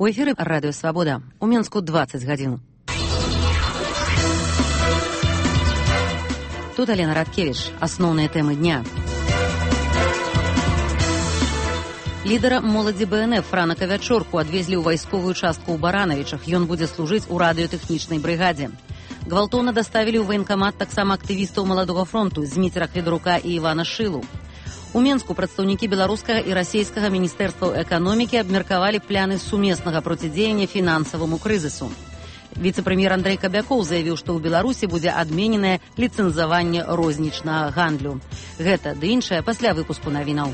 У эфіры радыё «Свабода». У Мінску 20 гадзін. Тут Алена Радкевіч. Асноўныя тэмы дня. Лідара моладзі БНФ Франака Вячорку адвезлі ў вайсковую частку ў Баранавічах. Ён будзе служыць у радыётэхнічнай брыгадзе. Гвалтоўна даставілі ў ваенкамат таксама актывістаў Маладога фронту Зміцера Хведрука і Івана Шылу. У Мінску прадстаўнікі беларускага і расійскага міністэрстваў эканомікі абмеркавалі пляны сумеснага процідзеяння фінансаваму крызісу. Віцэ-прэм'ер Андрэй Кабякоў заявіў, што ў Беларусі будзе адмененае ліцэнзаванне рознічнага гандлю. Гэта ды іншае пасля выпуску навінаў.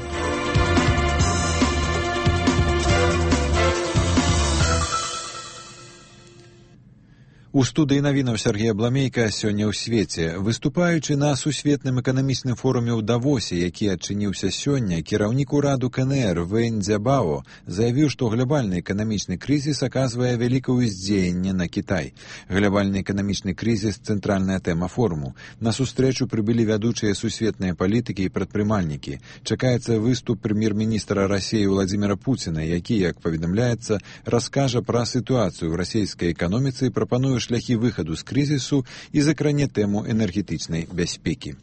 У студыі навінаў Сергея Бламейка сёння ў свеце. Выступаючы на сусветным эканамічным форуме ў Давосе, які адчыніўся сёння, кіраўнік ураду КНР Вэнь Дзябао заявіў, што глобальны эканамічны крызіс аказвае вялікае ўздзеянне на Кітай. Глобальны эканамічны крызіс – цэнтральная тэма форуму. На сустрэчу прыбылі вядучыя сусветныя палітыкі і прадпрымальнікі. Чакаецца выступ прэм'ер-міністра Расіі Владзіміра Пуціна, які, як паведамляецца, раскажа пра сітуацыю ў расійскай эканоміцы і прапануе шляхі выхаду з крызісу і закране тэму энергетычнай бяспекі.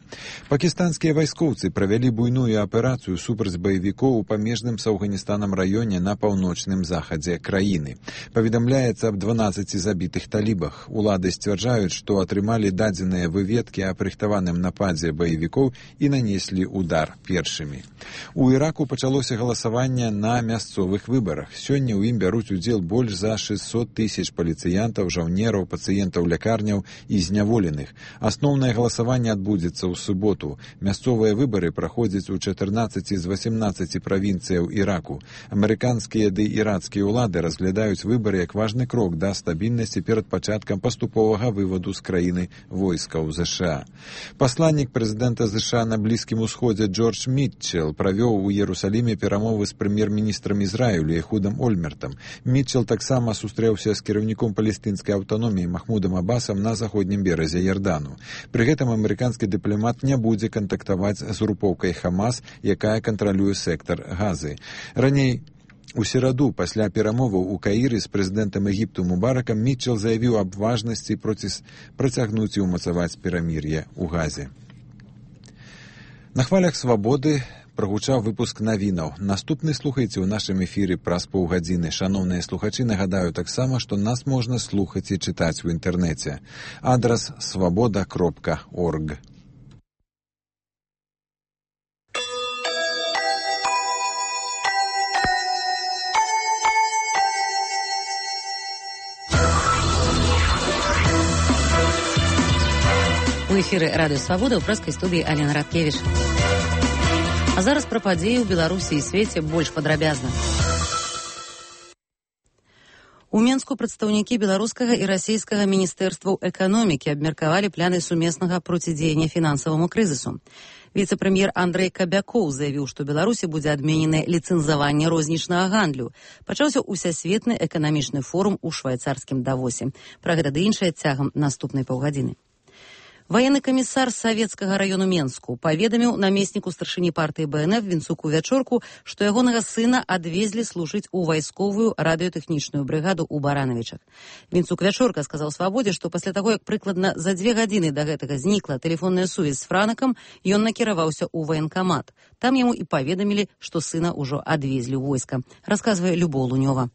Пакістанскія вайскоўцы правялі буйную аперацыю супраць баевікоў у памежным з Афганістанам раёне на паўночным захадзе краіны. Паведамляецца аб 12 забітых талібах. Улады сцвярджаюць, што атрымалі дадзеныя выведкі аб рыхтаваным нападзе баевікоў і нанеслі удар першымі. У Іраку пачалося галасаванне на мясцовых выбарах. Сёння ў ім бяруць удзел больш за 600 тысяч паліцыянтаў, жаўнераў, пацыентаў лекарняў і зняволеных. Асноўнае галасаванне адбудзецца ў суботу. Мясцовыя выбары праходзяць у 14 з 18 правінцыяў Іраку. Амерыканскія ды ірацкія ўлады разглядаюць выбары як важны крок да стабільнасці перад пачаткам паступовага вываду з краіны войскаў ЗША. Пасланнік прэзідэнта ЗША на Блізкім усходзе Джордж Мітчел правёў у Іерусаліме перамовы з прэм'ер-міністрам Ізраілю Ехудам Ольмертам. Мітчел таксама сустрэўся з кіраўніком палестынскай аўтаноміі Махмудам Абасам на заходнім беразе Ярдану. Пры гэтым амерыканскі дыпламат не будзе кантактаваць з групоўкай Хамас, якая кантралюе сектар Газы. Раней у сераду, пасля перамоваў у Каіры з прэзідэнтам Егіпту Мубаракам, Мітчел заявіў аб важнасці працягнуць і ўмацаваць перамір'е ў Газе. На хвалях свабоды прагучаў выпуск навінаў. Наступны слухайце ў нашым эфіры праз паўгадзіны. Шаноўныя слухачы, нагадаю таксама, што нас можна слухаць і чытаць у інтэрнэце. Адрас свабода.орг. У эфіры радыё «Свабода» ў прэскай студыі Алена Радкевіч. А зараз пра падзеі ў Беларусі і свеце больш падрабязна. У Мінску прадстаўнікі беларускага і расійскага міністэрстваў эканомікі абмеркавалі пляны сумеснага процідзеяння фінансаваму крызісу. Віцэ-прэм'ер Андрэй Кабякоў заявіў, што Беларусі будзе адмененае ліцэнзаванне рознічнага гандлю. Пачаўся ўсясветны эканамічны форум у швайцарскім Давосе. Пра гэта ды іншае цягам наступнай паўгадзіны. Военный комиссар Советского района Менску паведаміў намесніку старшыні партыі БНФ Вінцуку Вячорку, што ягонага сына адвезлі служыць у вайсковую радыётэхнічную брыгаду ў Баранавічах. Вінцук Вячорка сказаў «Свабодзе», што пасля таго, як прыкладна за 2 гадзіны да гэтага знікла тэлефонная сувязь з Франакам, ён накіраваўся ў ваенкамат. Там яму і паведамілі, што сына ўжо адвезлі ў войска. Расказвае Любоў Лунёва.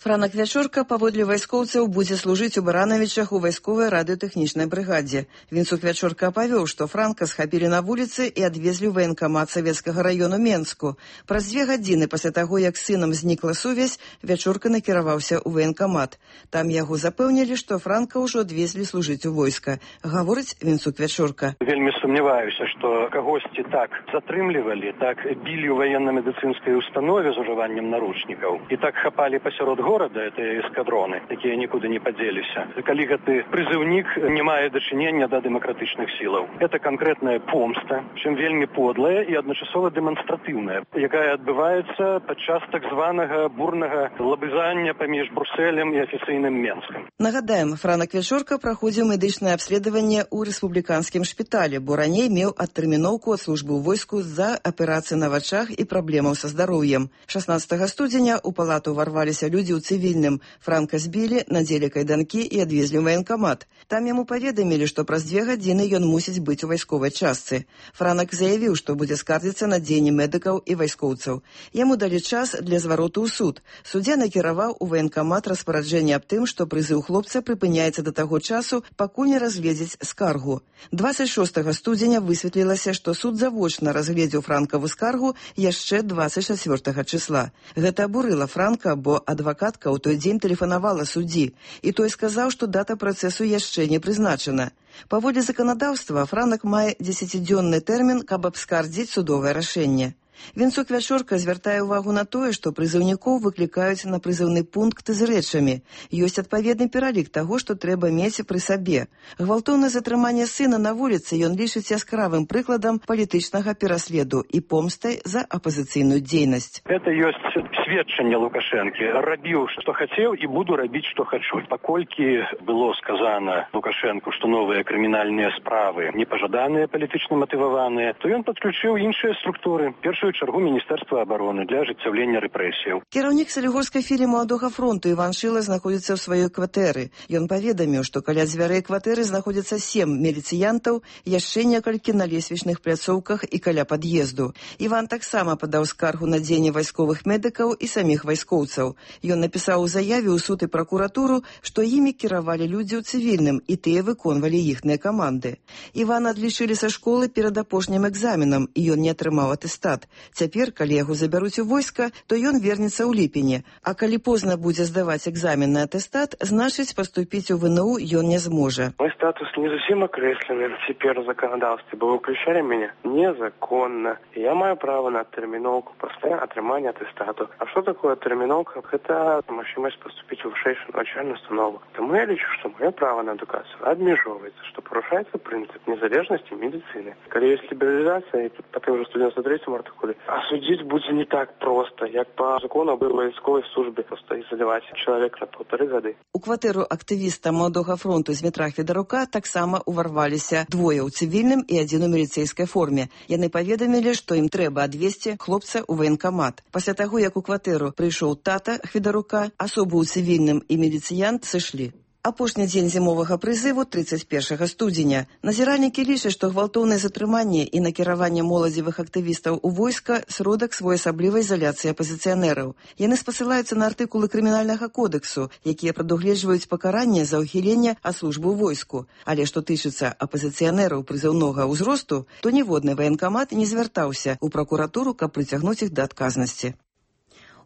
Франак Вячорка паводле вайскоўцаў будзе служыць у Баранавічах у вайсковай радыётэхнічнай брыгадзе. Вінцук Вячорка апавёў, што Франка схапілі на вуліцы і адвезлі ў ваенкамат Савецкага раёну Менску. Праз 2 гадзіны пасля таго, як з сынам знікла сувязь, Вячорка накіраваўся ў ваенкамат. Там яго запэўнілі, што Франка ўжо адвезлі служыць у войска. Гаворыць Вінцук Вячорка. Вельмі сумняваюся, што кагосьці так затрымлівалі, так білі ў ваенна-медыцынскай установе з ужываннем наручнікаў і так хапалі пасярод города, это эскадроны, якія нікуды не падзеліся. Калі гэты прызыўнік не мае дачынення да дэмакратычных сілаў. Это канкрэтная помста, чым вельмі подлая і адначасова дэманстратыўная, якая адбываецца падчас так званага бурнага лабызання паміж Брусэлем і афіцыйным Менскам. Нагадаем, Франак Вячорка праходзіў медычнае абследаванне ў рэспубліканскім шпіталі, бо раней меў адтэрміноўку ад службы ў войску з-за аперацыі на вачах і праблемаў са здароўем. 16 студзеня ў палату ўварваліся людзі ў цывільным. Франка збілі, надзелі кайданкі і адвезлі ў ваенкамат. Там яму паведамілі, што праз 2 гадзіны ён мусіць быць у вайсковай частцы. Франак заявіў, што будзе скардзіцца на дзеянні медыкаў і вайскоўцаў. Яму далі час для звароту ў суд. Суддзя накіраваў у ваенкамат распараджэнне аб тым, што прызыў хлопца прыпыняецца да таго часу, пакуль не разгледзець скаргу. 26 студзеня высветлілася, што суд завочна разгледзеў Франкаву скаргу яшчэ 24 числа. Гэта абурыла Франка, бо адвакатка ў той дзень тэлефанавала суддзі, і той сказаў, што дата працэсу яшчэ не прызначана. Паводле заканадаўства, Франак мае 10-дзённы тэрмін, каб абскардзіць судовае рашэнне. Вінцук Вячорка звяртае ўвагу на тое, што прызыўнікоў выклікаюць на прызыўны пункт з рэчамі. Ёсць адпаведны пералік таго, што трэба мець пры сабе. Гвалтоўнае затрыманне сына на вуліцы ён лічыць яскравым прыкладам палітычнага пераследу і помстай за апазіцыйную дзейнасць. Это ёсць сведчанне Лукашэнкі. Рабіў, што хацеў, і буду рабіць, што хачу. Паколькі было сказана Лукашэнку, што новыя крымінальныя справы непажаданыя, палітычна матываваныя, то ён падключыў іншыя структуры. Першую чаргу Міністэрства абароны для ажыццяўлення рэпрэсіяў. Кіраўнік Салігорскай філіі Маладога фронту Іван Шыла знаходзіцца ў сваёй кватэры. Ён паведаміў, што каля дзвярэй кватэры знаходзяцца 7 міліцыянтаў, яшчэ некалькі на лесвічных пляцоўках і каля пад'езду. Іван таксама падаў скаргу на дзеянне вайсковых медыкаў і саміх вайскоўцаў. Ён напісаў у заяве ў суд і пракуратуру, што імі кіравалі людзі ў цывільным, і тыя выконвалі іхныя каманды. Івана адлічылі са школы перад апошнім экзаменам, і ён не атрымаў атэстат. Цяпер, калі яго забяруць у войска, то ён вернецца ў ліпені, а калі позна будзе здаваць экзамен на атэстат, значыць, паступіць у ВНУ ён не зможа. Мой статус не зусім акрэслены цяпер у заканадаўстве, бо выключалі мяне незаконна. Я маю права на тэрміноўку пасля атрымання атэстату. А што такое тэрміноўка? Гэта магчымасць паступіць у вышэйшую навучальную установу. Таму я лічу, што маё права на адукацыю абмежоўваецца, што парушаецца прынцып незалежнасці медыцыны. Калі ёсць лібералізацыя, і тут па тым жа 193 артыкуле, а судзіць будзе не так проста, як па закону аб вайсковай службе, проста ізаляваць чалавека на 1,5 гады. У кватэру актывіста Маладога фронту Змітра Федарука таксама уварваліся 2 ў цывільным і 1 у міліцэйскай форме. Яны паведамілі, што ім трэба адвезці хлопца ў ваенкамат. Пасля таго, як у кватэру прыйшоў тата Федарука, асобы ў цывільным і міліцыянт сышлі. Апошні дзень зімовага прызыву 31 студзеня. Назіральнікі лічаць, што гвалтоўнае затрыманне і накіраванне моладзевых актывістаў у войска сродак своеасаблівай ізаляцыі апазіцыянераў. Яны спасылаюцца на артыкулы крымінальнага кодексу, якія прадугледжваюць пакаранне за ўхіленне ад службы ў войску. Але што тычыцца апазіцыянераў прызыўнога ўзросту, то ніводны ваенкамат не звяртаўся ў пракуратуру, каб прыцягнуць іх да адказнасці.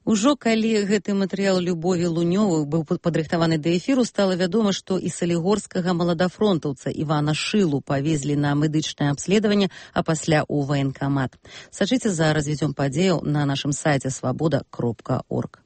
Ужо калі гэты матэрыял Любові Лунёвых быў падрыхтаваны да эфіру, стала вядома, што і салігорскага маладафронтаўца Івана Шылу павезлі на медычнае абследаванне, а пасля ў ваенкамат. Сачыце за развіццём падзеяў на нашым сайце свабода.орг.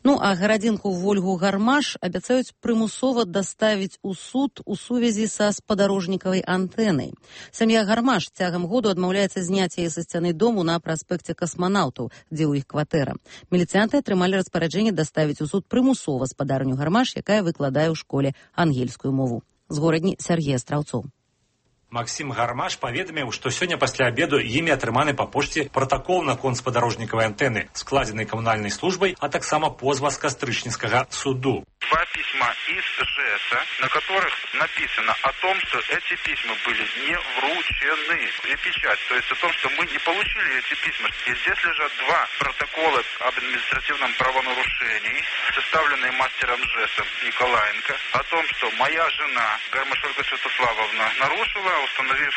Ну, а гарадзінку Вольгу Гармаш абяцаюць прымусова даставіць у суд у сувязі са спадарожнікавай антэнай. Сям'я Гармаш цягам году адмаўляецца зняць яе са сцяны дому на праспекце Касманаўтаў, дзе ў іх кватэра. Міліцыянты атрымалі распараджэнне даставіць у суд прымусова спадарню Гармаш, якая выкладае ў школе ангельскую мову. З горадні Сергея Страўцоў. Максим Гармаш паведаміў, што сёння пасля абеду імі атрыманы па пошце пратакол наконт спадарожнікавай антэны, складзены камунальнай службай, а таксама позва з Кастрычніцкага суду. 2 письма из ЖЭСа, на которых написано о том, что эти письма были не вручены. И печать, то есть о том, что мы не получили эти письма. И здесь лежат 2 протокола об административном правонарушении, составленные мастером ЖЭСа Николаенко, о том, что моя жена, Гармаш Ольга Святославовна, нарушила, установив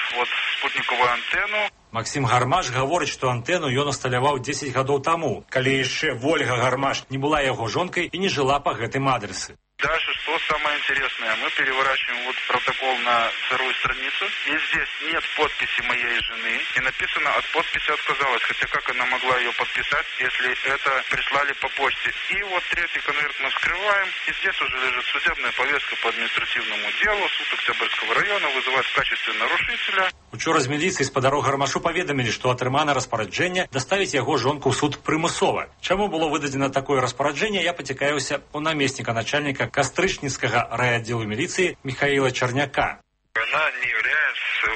спутниковую антенну. Максим Гармаш гаворыць, што антэну ён усталяваў 10 гадоў таму, калі яшчэ Вольга Гармаш не была яго жонкай і не жыла па гэтым адресе. Дальше, что самое интересное, мы переворачиваем вот протокол на 2-ю страницу, и здесь нет подписи моей жены, и написано, от подписи отказалась, хотя как она могла ее подписать, если это прислали по почте. И вот 3-й конверт мы вскрываем, и здесь уже лежит судебная повестка по административному делу, суд Октябрьского района вызывает в качестве нарушителя. Учора з міліцыі спадару Гармашу паведамілі, што атрымана распараджэнне даставіць яго жонку ў суд прымусова. Чаму было выдадзена такое распараджэнне, я пацікаюся у намесніка начальніка Кастрычніцкага райаддзелу милиции Михаила Черняка. Она не является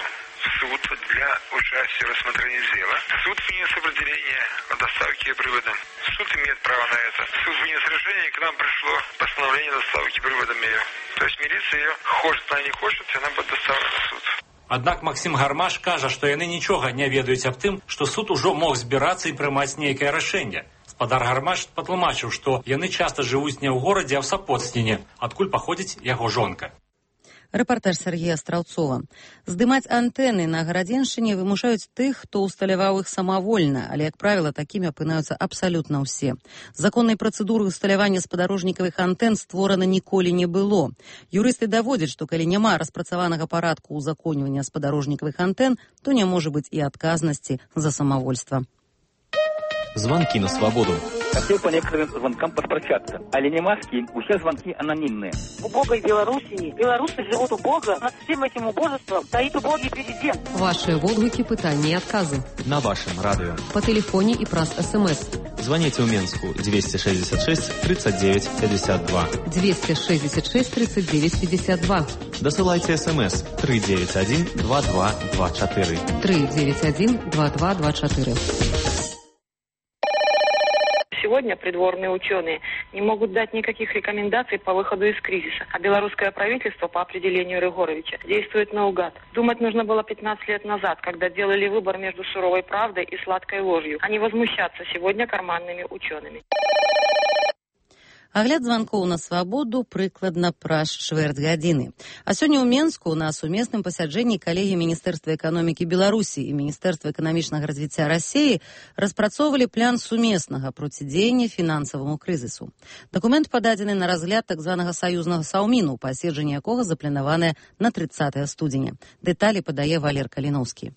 суд для участия в рассмотрении дела. Суд внес определение о доставке привода. Суд имеет право на это. Суд вынес решение, и к нам пришло постановление доставки приводом ее. То есть милиция ее хочет, она не хочет, и она будет доставлена в суд. Аднак Максим Гармаш кажа, што яны нічога не ведаюць аб тым, што суд ужо мог збірацца і прымаць нейкае рашэнне. Спадар Гармаш патлумачыў, што яны часта жывуць не ў горадзе, а ў Сапоцтвіне, адкуль паходзіць яго жонка. Рэпартаж Сергея Страўцова. Здымаць антэны на Гарадзеншчыне вымушаюць тых, хто усталяваў іх самавольна, але, як правіла, такімі апынаюцца абсалютна ўсе. Законнай працэдуры ўсталявання спадарожнікавых антэн створана ніколі не было. Юрысты даводзяць, што калі няма распрацаванага парадку ўзаконьвання спадарожнікавых антэн, то не можа быць і адказнасці за самавольства. Звонки на свободу. Хотел по некоторым звонкам поспрощаться. Але не маски, все звонки анонимные. В убогой Белоруссии белорусы живут убого. Над всем этим убожеством стоит убогий президент. Ваши отклики, пытания и отказы. На вашем радио. По телефоне и праз СМС. Звоните в Минску 266 39 52. 266 39 52. Досылайте СМС 391 2224. 391 2224. Сегодня придворные ученые не могут дать никаких рекомендаций по выходу из кризиса. А белорусское правительство по определению Рыгоровича действует наугад. Думать нужно было 15 лет назад, когда делали выбор между суровой правдой и сладкой ложью, а не возмущаться сегодня карманными учеными. Агляд званкоў на свабоду прыкладна праз чвэрць гадзіны. А сёння ў Менску на сумесным пасяджэнні калегі Міністэрства эканомікі Беларусі і Міністэрства эканамічнага развіцця Расіі распрацоўвалі план сумеснага процідзеяння фінансаваму крызісу. Дакумент пададзены на разгляд так званага саюзнага саўміну, паседжанне якога запланаванае на 30 студзеня. Дэталі падае Валер Каліноўскі.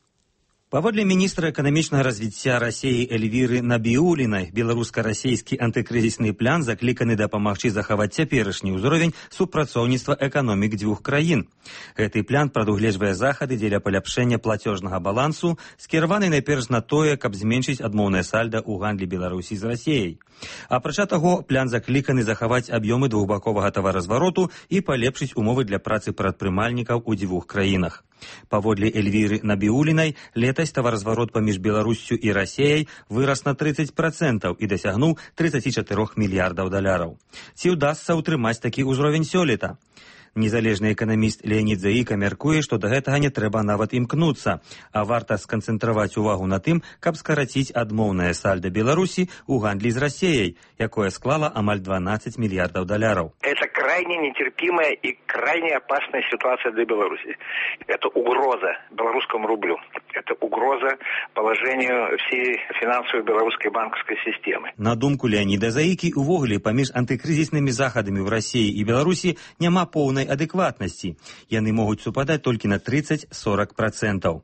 Паводле міністра эканамічнага развіцця Расіі Эльвіры Набіулінай, беларуска-расійскі антыкрызісны план закліканы дапамагчы захаваць цяперашні ўзровень супрацоўніцтва эканомік дзвюх краін. Гэты план прадугледжвае захады дзеля паляпшэння плацёжнага балансу, скіраваны найперш на тое, каб зменшыць адмоўнае сальда ў гандлі Беларусі з Расіяй. Апрача таго, план закліканы захаваць аб'ёмы двухбаковага таваразвароту і палепшыць умовы для працы прадпрымальнікаў у дзвюх краінах. Паводле Эльвіры Набіулінай, летась таваразварот паміж Беларуссю і Расіяй вырас на 30% і дасягнуў 34 мільярдаў даляраў. Ці ўдасца ўтрымаць такі ўзровень сёлета? Незалежны эканаміст Леонід Заіка мяркуе, што да гэтага не трэба нават імкнуцца, а варта сканцэнтраваць увагу на тым, каб скараціць адмоўнае сальда Беларусі ў гандлі з Расіяй, якое склала амаль 12 мільярдаў даляраў. Это крайне нетерпимая и крайне опасная ситуация для Беларуси. Это угроза белорусскому рублю. Это угроза положению всей финансовой белорусской банковской системы. На думку Леоніда Заікі, увогуле паміж антыкрызіснымі захадамі ў Расіі і Беларусі няма поўнай адэкватнасці. Яны могуць супадаць толькі на 30-40%.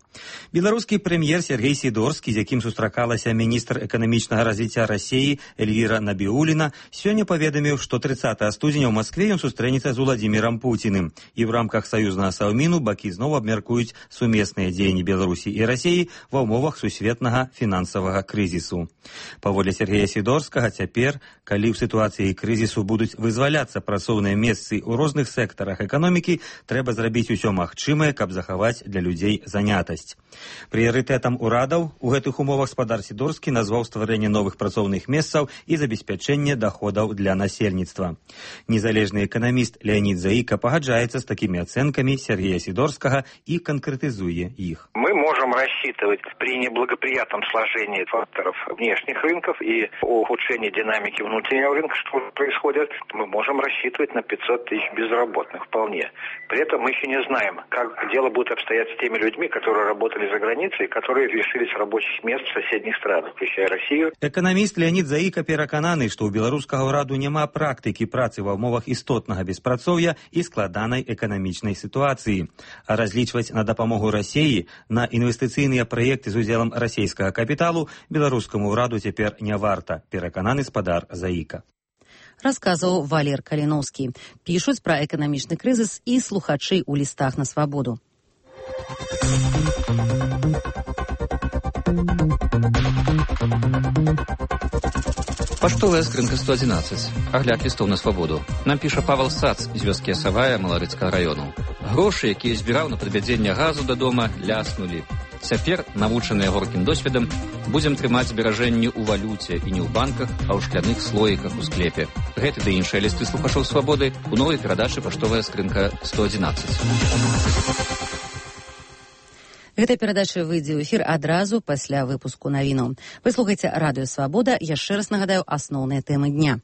Беларускі прэм'ер Сергей Сідорскі, з якім сустракалася міністр эканамічнага развіцця Расіі Эльвіра Набіуліна, сёння паведаміў, што 30 студзеня ў Маскве ён сустрэнецца з Уладзімірам Пуціным. І ў рамках саюзнага саўміну бакі зноў абмяркуюць сумесныя дзеянні Беларусі і Расіі ва ўмовах сусветнага фінансавага крызісу. Паводле Сергея Сідорскага, цяпер, калі ў сітуацыі крызісу будуць вызваляцца працоўныя месцы ў розных сектарах эканомікі, трэба зрабіць усё магчымае, каб захаваць для людзей занятасць. Прыярытэтам урадаў у гэтых умовах спадар Сідорскі назваў стварэнне новых працоўных месцаў і забеспячэнне доходаў для насельніцтва. Незалежны эканаміст Леонід Заіка пагаджаецца з такімі ацэнкамі Сергея Сідорскага і канкрэтызуе іх. Мы можем рассчитывать при неблагоприятном сложении факторов внешних рынков и ухудшении динамики внутреннего рынка, что происходит, мы можем рассчитывать на 500 тысяч безработных вполне. При этом мы еще не знаем, как дело будет обстоять с теми людьми, которые работали за границей, которые лишились рабочих мест в соседних странах, включая Россию. Эканаміст Леонід Заіка перакананы, што ў беларускага ўраду няма практыкі працы ва ўмовах істотнага беспрацоўя і складанай эканамічнай сітуацыі. А разлічваць на дапамогу Расіі, на інвестыцыйныя праекты з удзелам расійскага капіталу беларускаму ўраду цяпер не варта, перакананы спадар Заіка. Расказваў Валер Каліноўскі. Пішуць пра эканамічны крызіс і слухачы ў лістах на свабоду. Паштовая скрынка 111. Агляд лістоў на свабоду. Нам піша Павел Сац з вёскі Асавая Маларыцкага раёну. Грошы, якія збіраў на падвядзенне газу да дома, ляснулі. Цяпер, навучаныя горкім досведам, Будзем трымаць зберажэнні ў валюце і не ў банках, а ў шкляных слоіках у склепе. Гэты ды іншыя лісты слухачоў «Свабоды» у новай перадачы «Паштовая скрынка 111». Гэта перадача выйдзе ў эфір адразу пасля выпуску навінаў. Вы слухаеце радыё «Свабода». Яшчэ раз нагадаю асноўныя тэмы дня.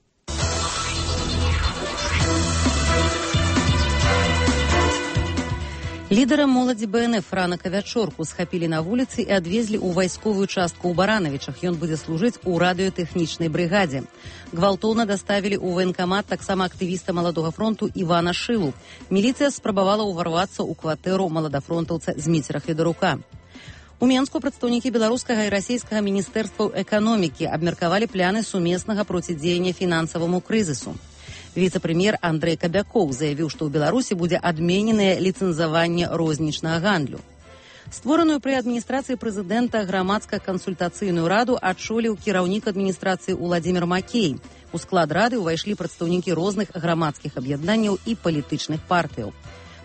Лідара моладзі БНФ Франака Вячорку схапілі на вуліцы і адвезлі ў вайсковую частку ў Баранавічах. Ён будзе служыць у радыётэхнічнай брыгадзе. Гвалтоўна даставілі ў военкамат таксама актывіста Маладога фронту Івана Шылу. Міліцыя спрабавала ўварвацца ў кватэру маладафронтаўца Зміцера Федарука. У Менску прадстаўнікі беларускага і расійскага міністэрстваў эканомікі абмеркавалі пляны сумеснага процідзеяння фінансаваму крызісу. Віцэ-прэм'ер Андрэй Кабякоў заявіў, што ў Беларусі будзе адмененае ліцэнзаванне рознічнага гандлю. Створаную пры адміністрацыі прэзідэнта грамадска-кансультацыйную раду адчоліў кіраўнік адміністрацыі Уладзімір Макей. У склад рады ўвайшлі прадстаўнікі розных грамадскіх аб'яднанняў і палітычных партыяў.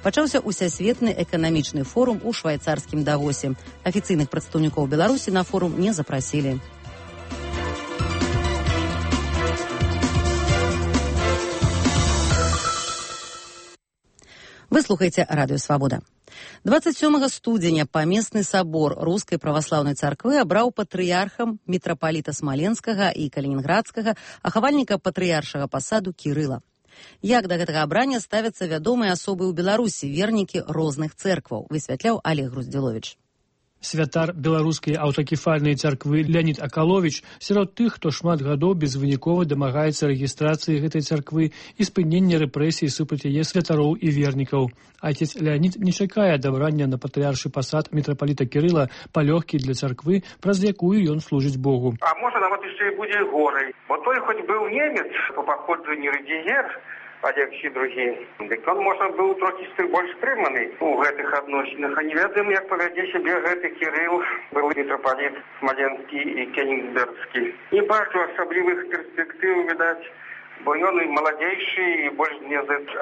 Пачаўся усесветны эканамічны форум у швайцарскім Давосе. Афіцыйных прадстаўнікоў Беларусі на форум не запрасілі. Вы слухаеце радыё «Свабода». 27 студзеня памесны сабор Рускай праваслаўнай царквы абраў патрыярхам мітрапаліта Смаленскага і Калінінградскага, ахавальніка патрыяршага пасаду Кірыла. Як да гэтага абрання ставяцца вядомыя асобы ў Беларусі, вернікі розных цэркваў, высвятляў Олег Груздзіловіч. Святар беларускай аўтакефальнай царквы Леонид Акаловіч сярод тых, хто шмат гадоў безвынікова дамагаецца рэгістрацыі гэтай царквы і спынення рэпрэсій супраць яе святароў і вернікаў. Отец Леонид не чакае адабрання на патрыяршы пасад мітрапаліта Кірыла палёгкі для царквы, праз якую ён служыць Богу. А можа нават яшчэ і будзе горай, бо той хоць быў немец по паходжанню рэгіер, Олег другі. Дык он, можа, быў трохі больш стрыманы у гэтых адносінах. А не ведаем, як павядзе сябе гэты Кірыл, был мітрапаліт Смаленскі і Кенігсбергскі. Не бачу асаблівых перспектыў, відаць, бо ён і маладзейшы, і больш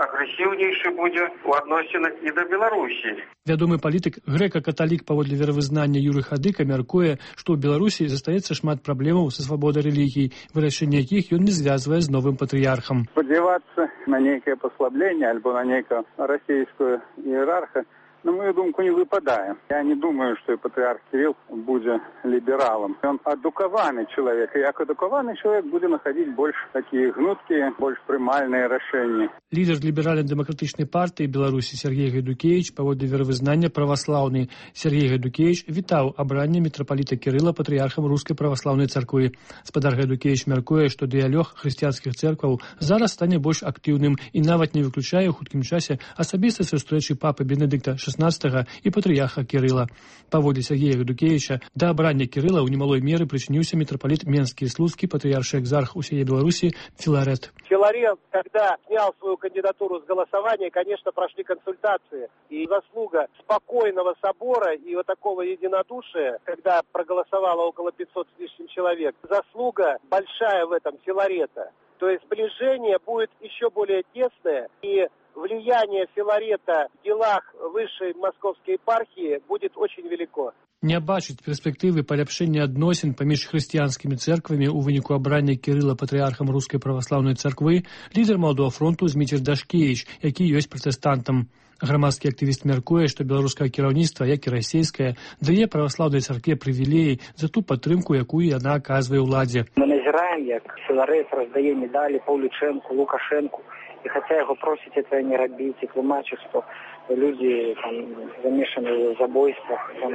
агрэсіўнейшы будзе у адносінах і да Беларусі. Вядомы палітык, грэка-каталік паводле веравызнання Юрый Хадыка мяркуе, што ў Беларусі застаецца шмат праблемаў са свабодай рэлігій, вырашэнне якіх ён не звязвае з новым патрыярхам. Спадзявацца на нейкае паслабленне альбо на нейкую расійскую іерарха, на мою думку, не выпадае. Я не думаю, што патрыарх Кірыл будзе лібералам. Ён адукаваны чалавек, і як адукаваны чалавек будзе находить больш такія гнуткія, больш прымальныя рашэнні. Лідер ліберальна-дэмакратычнай партыі Беларусі Сергей Гайдукевіч, паводле веравызнання праваслаўны Сергей Гайдукевіч, вітаў абранне мітрапаліта Кірыла патрыярхам Рускай праваслаўнай царквы. Спадар Гайдукевіч мяркуе, што дыялог хрысціянскіх цэркваў зараз стане больш актыўным і нават не выключае ў хуткім часе асабістай сустрэчы папы Бенедыкта XVI і патрыярха Кірыла. Паводле Сергея Гайдукевіча, да абрання Кірыла ў немалой меры прычыніўся мітрапаліт Менскі і Слуцкі, патриарший экзарх усей Беларуси Филарет. Филарет, когда снял свою кандидатуру с голосования, конечно, прошли консультации. И заслуга спокойного собора и вот такого единодушия, когда проголосовало около 500 с лишним человек, заслуга большая в этом Филарета. То есть сближение будет еще более тесное, и влияние Филарета в делах высшей московской епархии будет очень велико. Не бачыць перспектывы паляпшэння адносін паміж хрысціянскімі цэрквамі ў выніку абрання Кірыла патрыярхам Рускай праваслаўнай царквы лідар Маладога фронту Зміцер Дашкевіч, які ёсць пратэстантам. Грамадскі актывіст мяркуе, што беларускае кіраўніцтва, як і расійскае, дае праваслаўнай царкве прывілеі за ту падтрымку, якую яна аказвае ўладзе. Мы назіраем, як Філарет раздае медалі Паўлічэнку, Лукашэнку, и хотя его просить этого не робить, и тлумачить, что люди там замешаны в забойствах, там,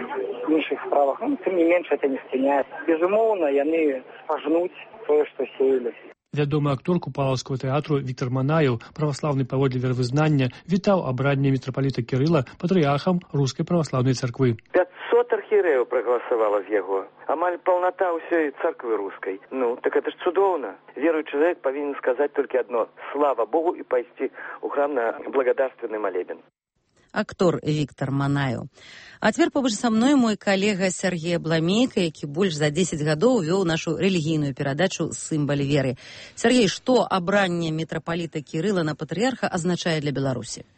в інших справах, тем не меньше это не спыняет. Безумовно, яны пожнуть то, что сеяли. Вядомы актор Купалаўскага тэатру Віктор Манаеў, праваслаўны паводле веравызнання, вітаў абранне мітрапаліта Кірыла патрыярхам Рускай праваслаўнай царквы. 500 архірэяў прагаласавала з яго. Амаль паўната ўсёй царквы рускай. Так это ж цудоўна. Веруючы чалавек павінен сказаць толькі адно: слава Богу, і пайсці ў храм на благодарственны малебен. Актор Віктор Манаеў. А цяпер побач са мной мой калега Сергей Абламейка, які больш за 10 гадоў вёў нашу рэлігійную перадачу «Сімбаль веры». Сергей, што абранне мітрапаліта Кірыла на патрыярха азначае для Беларусі?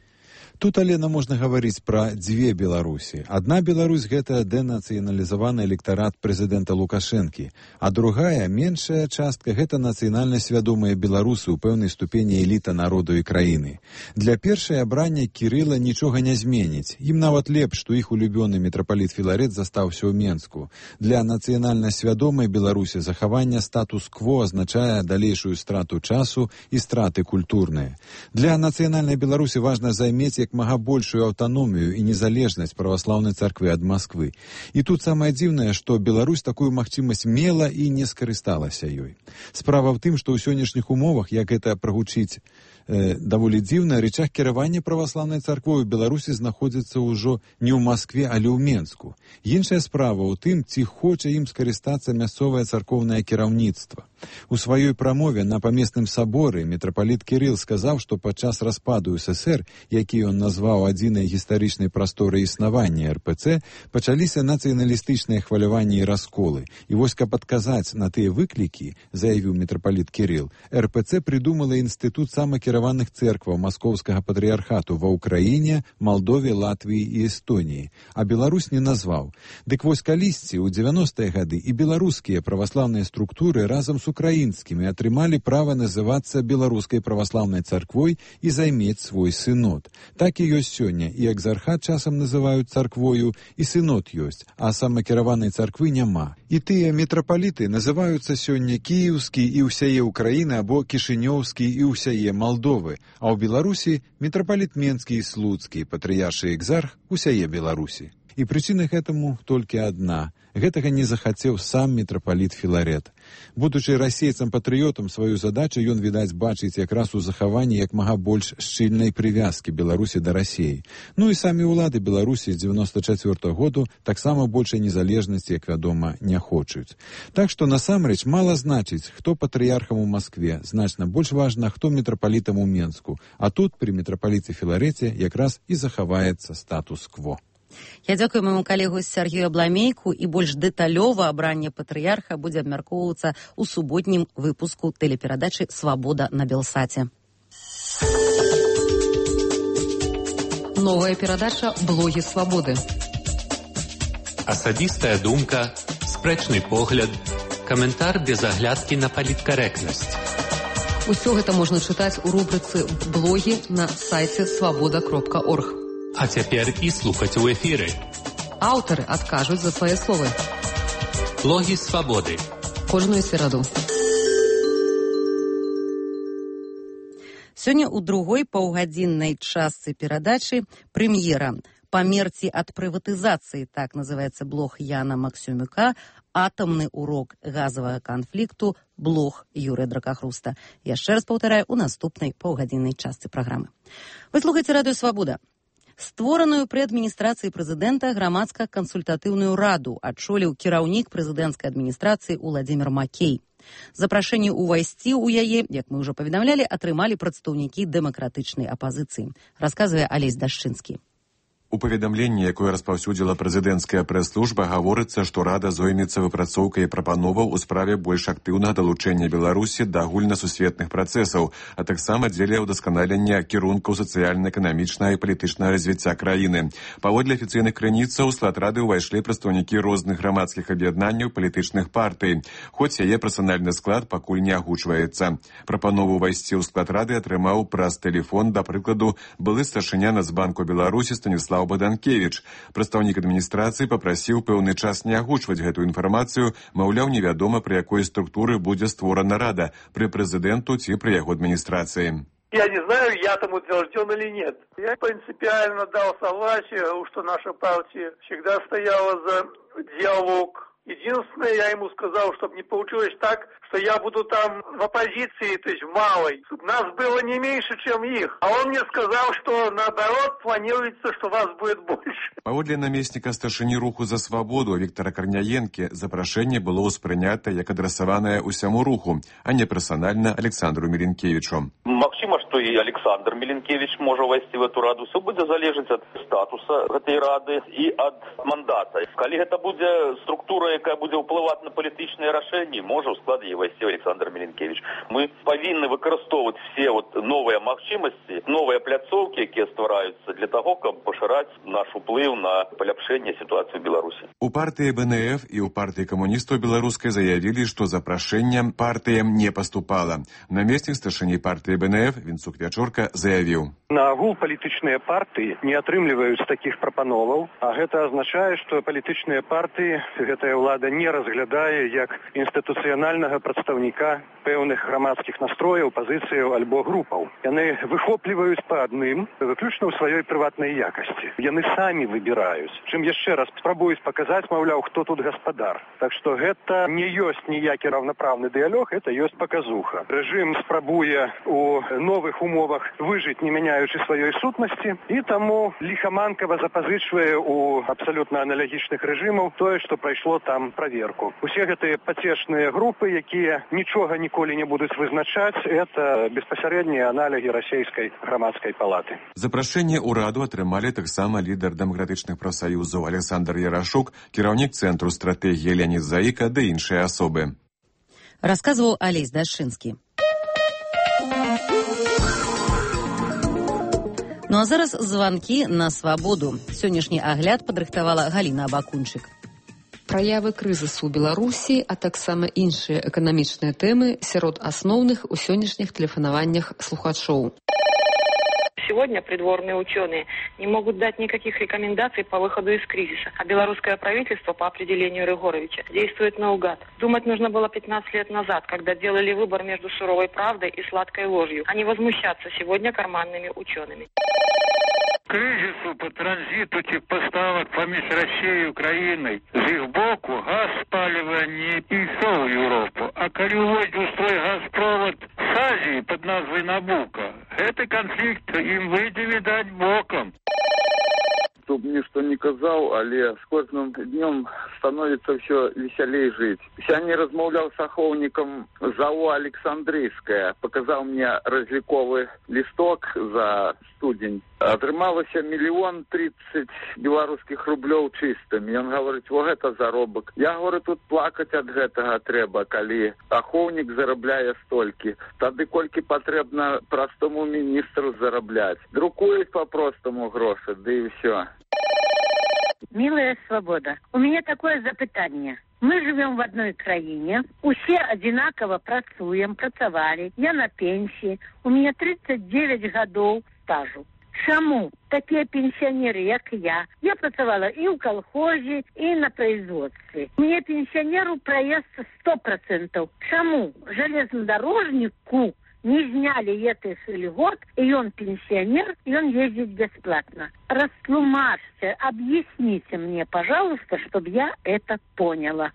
Тут, Алена, можна гаварыць пра дзве Беларусі. Адна Беларусь – гэта дэнацыяналізаваны электарат прэзідэнта Лукашэнкі, а другая, меншая частка – гэта нацыянальна свядомыя беларусы ў пэўнай ступені эліта народу і краіны. Для першай абрання Кірыла нічога не зменіць. Ім нават лепш, што іх улюбёны мітрапаліт Філарет застаўся ў Менску. Для нацыянальна свядомай Беларусі захаванне статус-кво азначае далейшую страту часу і страты культурныя. Для нацыянальнай Беларусі важна займець як мага большую аўтаномію і незалежнасць праваслаўнай царквы ад Масквы. І тут самае дзіўнае, што Беларусь такую магчымасць мела і не скарысталася ёй. Справа ў тым, што ў сённяшніх умовах, як гэта прагучыць даволі дзіўна, рычаг кіравання праваслаўнай царквой у Беларусі знаходзіцца ўжо не ў Маскве, але ў Менску. Іншая справа ў тым, ці хоча ім скарыстацца мясцовае царкоўнае кіраўніцтва. У сваёй прамове на памесным саборы мітрапаліт Кірыл сказаў, што падчас распаду ССР, які ён назваў адзінай гістарычнай прасторай існавання РПЦ, пачаліся нацыяналістычныя хваляванні і расколы. І вось, каб адказаць на тыя выклікі, заявіў мітрапаліт Кірыл, РПЦ придумала інстытут самакіраваных цэркваў Маскоўскага патрыярхату ва Ўкраіне, Малдове, Латвіі і Эстоніі, а Беларусь не назваў. Дык вось калісьці, у 90-е гады і беларускія праваслаўныя структуры разам з украінскімі атрымалі права называцца беларускай праваслаўнай царквой і займець свой сынод. Так і ёсць сёння, і экзархат часам называюць царквою, і сынод ёсць, а самакіраванай царквы няма. І тыя мітрапаліты называюцца сёння кіеўскі і ўсяе Украіны або кішынёўскі і ўсяе Малдовы, а ў Беларусі мітрапаліт Менскі і Слуцкі, патрыяршы экзарх усяе Беларусі. І прычына гэтаму толькі адна. Гэтага не захацеў сам мітрапаліт Філарет. Будучы расейцам-патрыётам, сваю задачу ён, відаць, бачыць якраз у захаванні як мага больш шчыльнай прывязкі Беларусі да Расіі. Ну і самі ўлады Беларусі з 94-го году таксама большай незалежнасці, як вядома, не хочуць. Так што насамрэч мала значыць, хто патрыярхам у Маскве, значна больш важна, хто мітрапалітам у Менску. А тут пры мітрапаліце Філарете якраз і захаваецца статус-кво. Я дзякую майму калегу Сергею Абламейку, і больш дэталёва абранне патрыярха будзе абмяркоўвацца ў суботнім выпуску тэлеперадачы «Свабода» на Белсаце. Новая перадача «Блогі свабоды». Асабістая думка, спрэчны погляд, каментар без аглядкі на паліткарэктнасць. Усё гэта можна чытаць у рубрыцы «Блогі» на сайце свабода.орг. А цяпер і слухаць у эфіры. Аўтары адкажуць за свае словы. Блогі свабоды. Кожную сераду. Сёння ў другой паўгадзіннай частцы перадачы прэм'ера «Памерці ад прыватызацыі», так называецца блог Яна Максюмюка, «Атамны урок газавага канфлікту», блог Юрыя Дракахруста. Яшчэ раз паўтараю, у наступнай паўгадзіннай частцы праграмы. Вы слухаеце радыё «Свабода». Створаную пры адміністрацыі прэзідэнта грамадска-кансультатыўную раду адчоліў кіраўнік прэзідэнцкай адміністрацыі Уладзімір Макей. Запрашэнне ўвайсці ў яе, як мы ўжо паведамлялі, атрымалі прадстаўнікі дэмакратычнай апазіцыі, расказвае Алесь Дашчынскі. У паведамленні, якое распаўсюдзіла прэзідэнцкая прэс-служба, гаворыцца, што рада зоймецца выпрацоўкай прапановаў у справе больш актыўнага далучэння Беларусі да агульнасусветных працэсаў, а таксама дзеля ўдасканалення кірункаў сацыяльна-эканамічнага і палітычнага развіцця краіны. Паводле афіцыйных крыніцаў у склад рады ўвайшлі прадстаўнікі розных грамадскіх аб'яднанняў палітычных партый, хоць яе персанальны склад пакуль не агучваецца. Прапанову ўвайсці ў склад рады атрымаў праз тэлефон, да прыкладу, былы старшыня Нацбанку Беларусі Станіслав Баданкевіч. Прадстаўнік адміністрацыі папрасіў пэўны час не агучваць гэтую інфармацыю, маўляў, невядома, пры якой структуры будзе створана рада, пры прэзідэнту ці пры яго адміністрацыі. Я не знаю, я там утвержден или нет. Я принципиально дал согласие, что наша партия всегда стояла за диалог. Единственное, я ему сказал, чтобы не получилось так, что я буду там в оппозиции, то есть в малой, чтобы нас было не меньше, чем их. А он мне сказал, что наоборот планируется, что вас будет больше. Паводле намесніка старшыні руху за свабоду Віктара Карняенкі запрашэнне было ўспрынята як адрасаванае ўсяму руху, а не персанальна Александру Міленкевічу. Магчыма, што і Александр Міленкевіч можа ўвайсці в эту раду. Все будзе залежаць ад статуса гэтай рады і ад мандата. Калі гэта будзе структура яка будзе ўплываць на палітычныя рашэнні, можа ў склад яе ўвайсці Александр Міленкевич. Мы павінны выкарыстоўваць все новыя магчымасці, новыя пляцоўкі, якія ствараюцца для таго, каб пашыраць наш уплыў на паляпшэнне сітуацыі ў Беларусі. У партыі БНФ і ў партыі камуністаў беларускай заявілі, што запрашэнне партыям не паступала. Намеснік старшыні партыі БНФ Вінцук Вячорка заявіў: На агул палітычныя партыі не атрымліваюць такіх прапановаў, а гэта азначае, што палітычныя партыі гэтая ўлада не разглядае як інстытуцыянальнага прадстаўніка пэўных грамадскіх настрояў, пазіцыяў альбо групаў. Яны выхопліваюць па адным, выключна ў сваёй прыватнай якасці. Яны самі выбіраюць. Чым яшчэ раз спрабуюць паказаць, маўляў, хто тут гаспадар. Так што гэта не ёсць ніякі раўнапраўны дыялог, гэта ёсць паказуха. Рэжым спрабуе у новых умовах выжыць, не мяняючы сваёй сутнасці, і таму ліхаманкава запазычвае у абсалютна аналагічных рэжымаў тое, што прайшло там праверку. Усе гэтыя пацешныя групы, якія нічога ніколі не будуць вызначаць, это беспасярэднія аналогі расійскай грамадскай палаты. Запрашэнне ўраду атрымалі таксама лідар дэмакратычных прафсаюзаў Александр Ярашук, кіраўнік цэнтру стратэгіі Леонід Заіка ды іншыя асобы. Расказваў Алесь Дашчынскі. Ну а зараз званкі на свабоду. Сённяшні агляд падрыхтавала Галіна Абакунчык. Праявы крызісу ў Беларусі, а таксама іншыя эканамічныя тэмы сярод асноўных у сённяшніх тэлефанаваннях слухачоў. Сегодня придворные ученые не могут дать никаких рекомендаций по выходу из кризиса, а белорусское правительство по определению Рыгоровича действует наугад. Думать нужно было 15 лет назад, когда делали выбор между суровой правдой и сладкой ложью, а не возмущаться сегодня карманными учеными. Кризису по транзиту поставок поміж Россией и Украиной з их боку газ спаливания и шел в Европу. А коли уводят свой газпровод с Азии под назвой Набуко, этот конфликт им выйдет, видать, боком. Чтоб ничто не казал, але с каждым днем становится все веселее жить. Сёння размаўлял с ахоўнікам ЗАО Александрийская, показал мне разликовый листок за студень. Атрымалася 1 030 000 белорусских рублёў чистыми. Он говорит, вот это заробок. Я говорю, тут плакать от гэтага трэба, калі ахоўнік зарабляе столькі. Тады колькі патрэбна простому министру зараблять. Друкует по-простому гроши, да и все. Милая свобода, у меня такое запытание. Мы живем в одной краине, усе одинаково працавали, я на пенсии, у меня 39 годов стажу. Чаму такие пенсионеры, как я працавала и в колхозе, и на производстве. Мне пенсионеру проезд 100%. Чаму железнодорожнику не сняли этих льгот, и он пенсионер, и он ездит бесплатно? Растлумажьте, объясните мне, пожалуйста, чтобы я это поняла.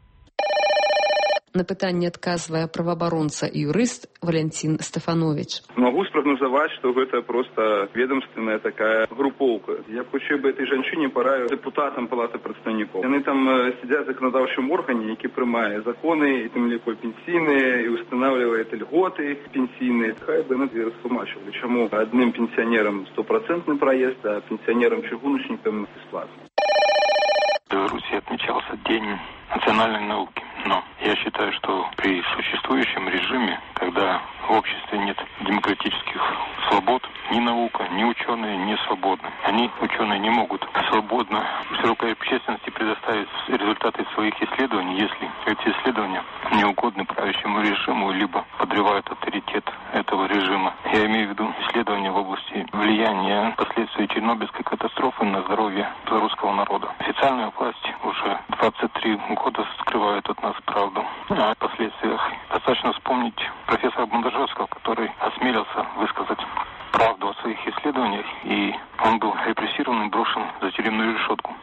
На пытанне адказвае праваабаронца і юрыст Валентин Стефанович. Могу спрогнозовать, что это просто ведомственная такая групповка. Я б хотів би этой женщине пора депутатам Палати представників. Вони там сидять в законодавчому органі, який приймає закони, і тим ліко пенсійні, і встановлює льготи пенсійні. Хай би не розтлумачили, чому одним пенсіонерам 100% проезд, а пенсионерам-чугуночникам бесплатно. В Беларуси отмечался День национальной науки. Но я считаю, что при существующем режиме, когда в обществе нет демократических свобод, ни наука, ни ученые не свободны. Они, ученые, не могут свободно широкой общественности предоставить результаты своих исследований, если эти исследования не угодны правящему режиму, либо подрывают авторитет этого режима. Я имею в виду исследования в области влияния последствий Чернобыльской катастрофы на здоровье белорусского народа. Официальная власть уже 23 года скрывает от нас правду о последствиях. Достаточно вспомнить профессора Бондаржевского, который осмелился высказать правду о своих исследованиях, и он был репрессирован и брошен за тюремную решетку.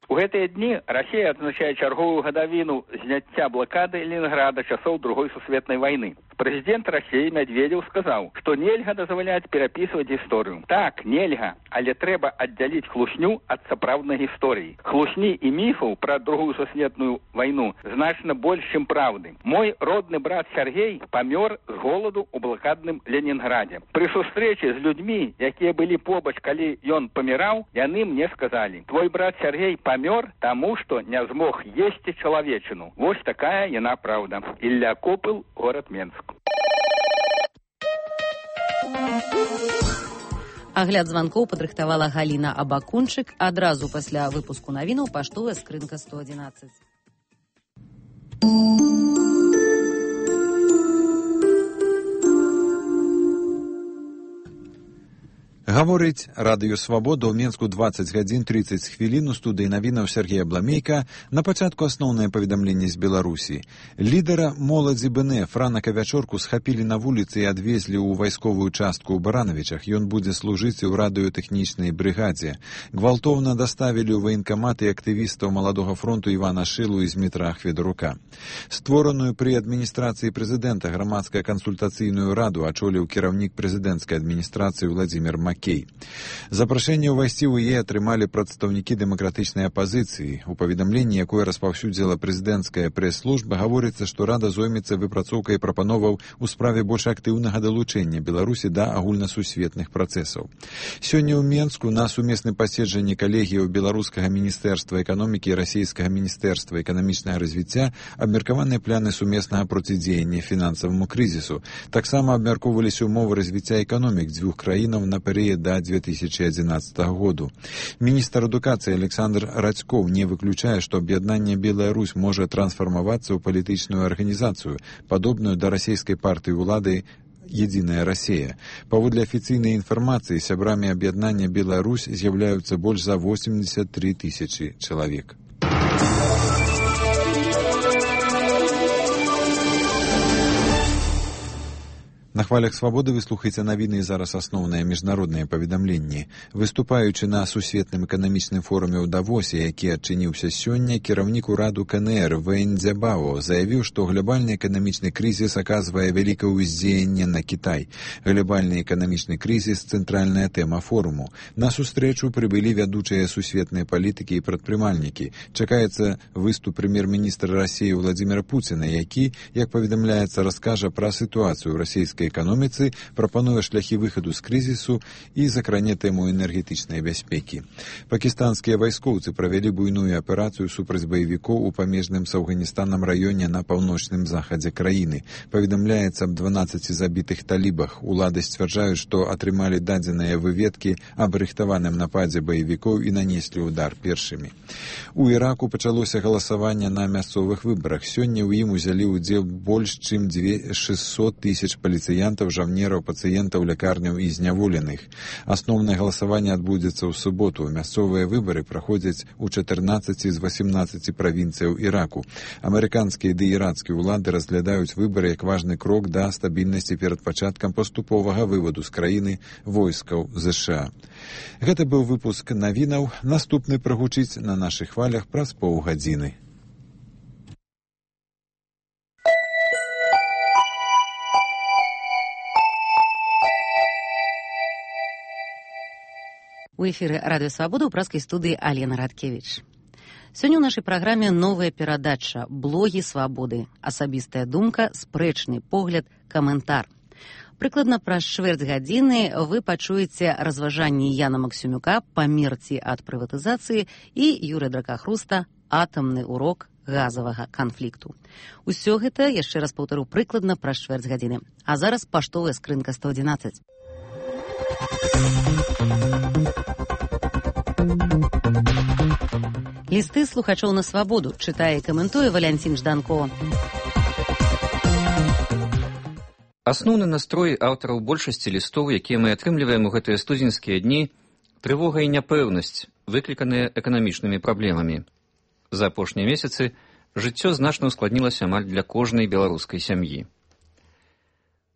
У гэтыя дні Расія адзначае чарговую гадавіну зняцця блакады Ленінграда часоў Другой сусветнай вайны. Прэзідэнт Расіі Медведзеў сказаў, што нельга дазваляць перапісваць гісторыю. Так, нельга, але трэба аддзяліць хлусню ад сапраўднай гісторыі. Хлусні і міфаў пра Другую сусветную вайну значна больш, чым праўды. Мой родны брат Сергей памёр з голаду ў блакадным Ленінградзе. Пры сустрэчы з людзьмі, якія былі побач, калі ён паміраў, яны мне сказалі: твой брат Сергей памёр памёр таму, што не змог есці чалавечыну. Вось такая яна праўда. Ілля Копыл, горад Менск. Агляд званкоў падрыхтавала Галіна Абакунчык. Адразу пасля выпуску навінаў паштовая скрынка 111. Гаворыць Радыё Свабода. ў Менску 20 гадзін 30 хвілін. У студыі навінаў Сергея Бламейка. На пачатку асноўнае паведамленне з Беларусі. Лідара моладзі БНФ ранак а вячорку схапілі на вуліцы і адвезлі ў вайсковую частку ў Баранавічах. Ён будзе служыць у радыётэхнічнай брыгадзе. Гвалтоўна даставілі ў ваенкамат і актывістаў Маладога фронту Івана Шылу і Змітра Ахведарука. Створаную пры адміністрацыі прэзідэнта грамадская кансультацыйную раду ачоліў кіраўнік прэзідэнцкай адміністрацыі Владзімір Макей. Запрашэнне ўвайсці ў яе атрымалі прадстаўнікі дэмакратычнай апазіцыі. У паведамленні, якое распаўсюдзіла прэзідэнцкая прэс-служба, гаворыцца, што рада зоймецца выпрацоўкай прапановаў у справе больш актыўнага далучэння Беларусі да агульнасусветных працэсаў. Сёння ў Менску на сумесным паседжанні калегіяў беларускага міністэрства эканомікі і расійскага міністэрства эканамічнага развіцця абмеркаваныя пляны сумеснага процідзеяння фінансаваму крызісу. Таксама абмяркоўваліся ўмовы развіцця эканомік дзвюх краінаў на перыяд да 2011 году. Міністр адукацыі Александр Радзькоў не выключае, што аб'яднанне Белая Русь можа трансфармавацца ў палітычную арганізацыю, падобную да расійскай партыі ўлады «Единая Россия». Паводле афіцыйнай інфармацыі, сябрамі аб'яднання Белая Русь з'яўляюцца больш за 83 тысячи чалавек. На хвалях свабоды вы слухаеце навіны і зараз асноўныя міжнародныя паведамленні. Выступаючы на сусветным эканамічным форуме ў Давосе, які адчыніўся сёння, кіраўнік ураду КНР Вэнь Цзябао заявіў, што глобальны эканамічны крызіс аказвае вялікае ўздзеянне на Кітай. Глобальны эканамічны крызіс – цэнтральная тэма форуму. На сустрэчу прыбылі вядучыя сусветныя палітыкі і прадпрымальнікі. Чакаецца выступ прэм'ер-міністра Расіі Владзіміра Пуціна, які, як паведамляецца, раскажа пра сітуацыю ў расійскай эканоміцы, прапануе шляхі выхаду з крызісу і закране тэму энергетычнай бяспекі. Пакістанскія вайскоўцы правялі буйную аперацыю супраць баевікоў у памежным з Афганістанам раёне на паўночным захадзе краіны. Паведамляецца аб 12 забітых талібах. Улады сцвярджаюць, што атрымалі дадзеныя выведкі аб рыхтаваным нападзе баевікоў і нанеслі ўдар першымі. У Іраку пачалося галасаванне на мясцовых выбарах. Сёння ў ім узялі ўдзел больш чым 600 тысяч паліцыянтаў, жаўнераў, пацыентаў, лякарняў і зняволеных. Асноўнае галасаванне адбудзецца ў суботу. Мясцовыя выбары праходзяць у 14 з 18 правінцыяў Іраку. Амерыканскія ды ірацкія ўлады разглядаюць выбары як важны крок да стабільнасці перад пачаткам паступовага вываду з краіны войскаў ЗША. Гэта быў выпуск навінаў. Наступны прагучыць на нашых хвалях праз паўгадзіны. У эфіры Радыё Свабода ў праскай студыі Алена Радкевіч. Сёння ў нашай праграме новая перадача «Блогі свабоды». Асабістая думка, спрэчны погляд, каментар. Прыкладна праз чвэрць гадзіны вы пачуеце разважанні Яна Максюмюка «Памерці ад прыватызацыі» і Юрыя Дракахруста «Атамны урок газавага канфлікту». Усё гэта, яшчэ раз паўтару, прыкладна праз чвэрць гадзіны. А зараз паштовая скрынка 111. Лісты слухачоў на свабоду чытае і каментуе Валянцін Жданко. Асноўны настрой аўтараў большасці лістоў, якія мы атрымліваем у гэтыя студзеньскія дні, трывога і няпэўнасць, выкліканыя эканамічнымі праблемамі. За апошнія месяцы жыццё значна ускладнілася амаль для кожнай беларускай сям'і.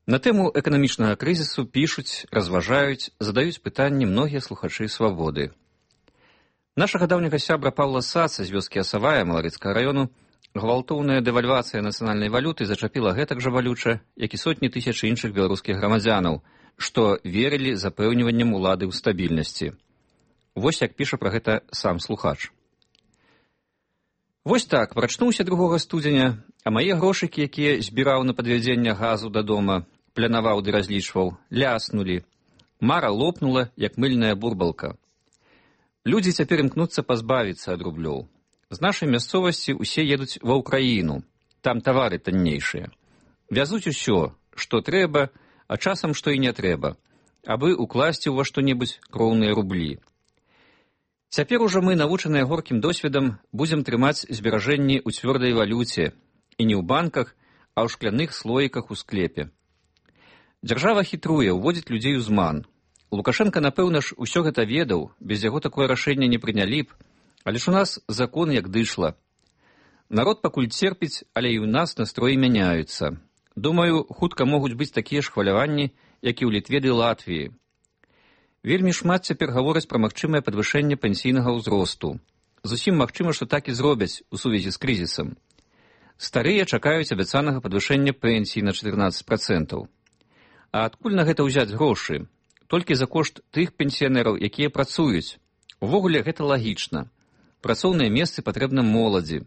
На тэму эканамічнага крызісу пішуць, разважаюць, задаюць пытанні многія слухачы свабоды. Нашага даўняга сябра Паўла Саца з вёскі Асавая Маларыцкага раёну гвалтоўная дэвальвацыя нацыянальнай валюты зачапіла гэтак жа балюча, як і сотні тысяч іншых беларускіх грамадзянаў, што верылі запэўніваннем улады ў стабільнасці. Вось як піша пра гэта сам слухач. Вось так, прачнуўся 2 студзеня, а мае грошыкі, якія збіраў на падвядзенне газу да дома, планаваў ды разлічваў, ляснулі. Мара лопнула, як мыльная бурбалка. Людзі цяпер імкнуцца пазбавіцца ад рублёў. З нашай мясцовасці ўсе едуць ва ўкраіну, там тавары таннейшыя. Вязуць усё, што трэба, а часам што і не трэба, абы укласці ўва што-небудзь кроўныя рублі. Цяпер ужо мы, навучаныя горкім досведам, будзем трымаць зберажэнні ў цвёрдай валюце, і не ў банках, а ў шкляных слоіках у склепе. Дзяржава хітруе, уводзіць людзей у зман. Лукашенка, напэўна ж, усё гэта ведаў, без яго такое рашэнне не прынялі б, але ж у нас закон як дышла. Народ пакуль церпіць, але і ў нас настроі мяняюцца. Думаю, хутка могуць быць такія ж хваляванні, як і ў Літве ды Латвіі. Вельмі шмат цяпер гавораць пра магчымае падвышэнне пенсійнага ўзросту. Зусім магчыма, што так і зробяць у сувязі з крызісам. Старыя чакаюць абяцанага падвышэння пенсій на 14%. А адкуль на гэта ўзяць грошы? Толькі за кошт тых пенсіянераў, якія працуюць. Увогуле гэта лагічна. Працоўныя месцы патрэбна моладзі.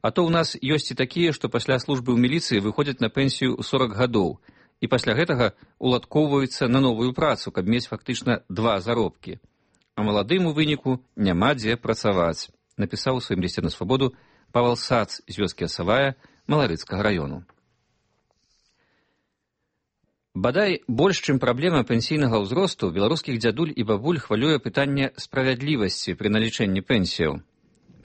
А то ў нас ёсць і такія, што пасля службы ў міліцыі выходзяць на пенсію ў 40 гадоў, і пасля гэтага уладкоўваюцца на новую працу, каб мець фактычна 2 заробкі. А маладым у выніку няма дзе працаваць, напісаў у сваім лісце на свабоду Павел Сац з вёскі Асавая Маларыцкага раёну. Бадай, больш, чым праблема пенсійнага ўзросту, беларускіх дзядуль і бабуль хвалюе пытанне справядлівасці пры налічэнні пенсіяў.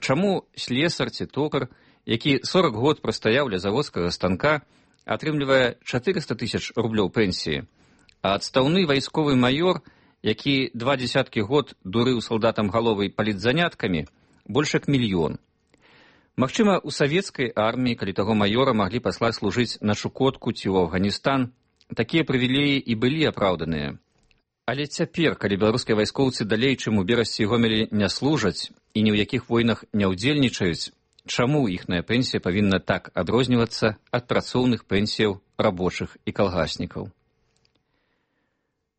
Чаму слесар ці токар, які 40 год прастаяў ля заводскага станка, атрымлівае 400 000 рублёў пенсіі, а адстаўны вайсковы маёр, які 20 год дурыў салдатам галовы палітзаняткамі, больш як 1 000 000. Магчыма, у савецкай арміі, калі таго маёра маглі паслаць служыць на Чукотку ці ў Афганістан, такія прывілеі і былі апраўданыя. Але цяпер, калі беларускія вайскоўцы далей, чым у Берасці і Гомелі, не служаць і ні ў якіх войнах не ўдзельнічаюць, чаму іхная пенсія павінна так адрознівацца ад працоўных пенсіяў рабочых і калгаснікаў?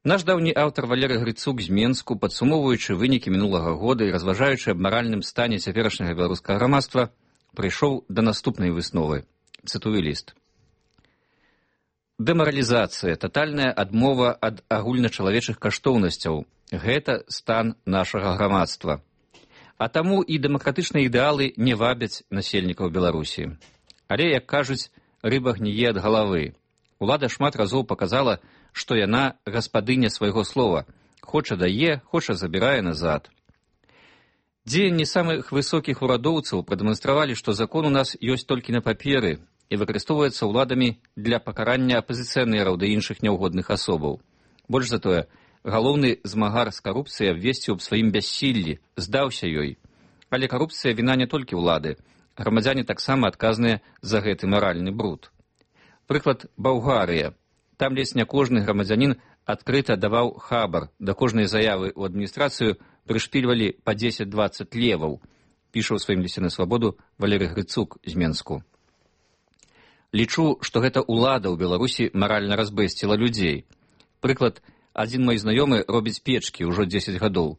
Наш даўні аўтар Валерый Грыцук з Менску, падсумоўваючы вынікі мінулага года і разважаючы аб маральным стане цяперашняга беларускага грамадства, прыйшоў да наступнай высновы. Цытую ліст. Дэмаралізацыя, татальная адмова ад агульначалавечых каштоўнасцяў – гэта стан нашага грамадства. А таму і дэмакратычныя ідэалы не вабяць насельнікаў Беларусі. Але, як кажуць, рыба гніе ад галавы. Улада шмат разоў паказала, што яна гаспадыня свайго слова. Хоча дае, хоча забірае назад. Дзеянні самых высокіх урадоўцаў прадэманстравалі, што закон у нас ёсць толькі на паперы і выкарыстоўваецца ўладамі для пакарання апазіцыянераў ды іншых няўгодных асобаў. Больш за тое, галоўны змагар з карупцыяй абвесціў аб сваім бяссіллі, здаўся ёй. Але карупцыя віна не толькі ўлады. Грамадзяне таксама адказныя за гэты маральны бруд. Прыклад Балгарыя. Там ледзь не кожны грамадзянін адкрыта даваў хабар, да кожнай заявы ў адміністрацыю прышпільвалі па 10-20 леваў, піша ў сваім лісце на свабоду Валерый Грыцук з Менску. Лічу, што гэта ўлада ў Беларусі маральна разбэсціла людзей. Прыклад, адзін мой знаёмы робіць печкі ўжо 10 гадоў.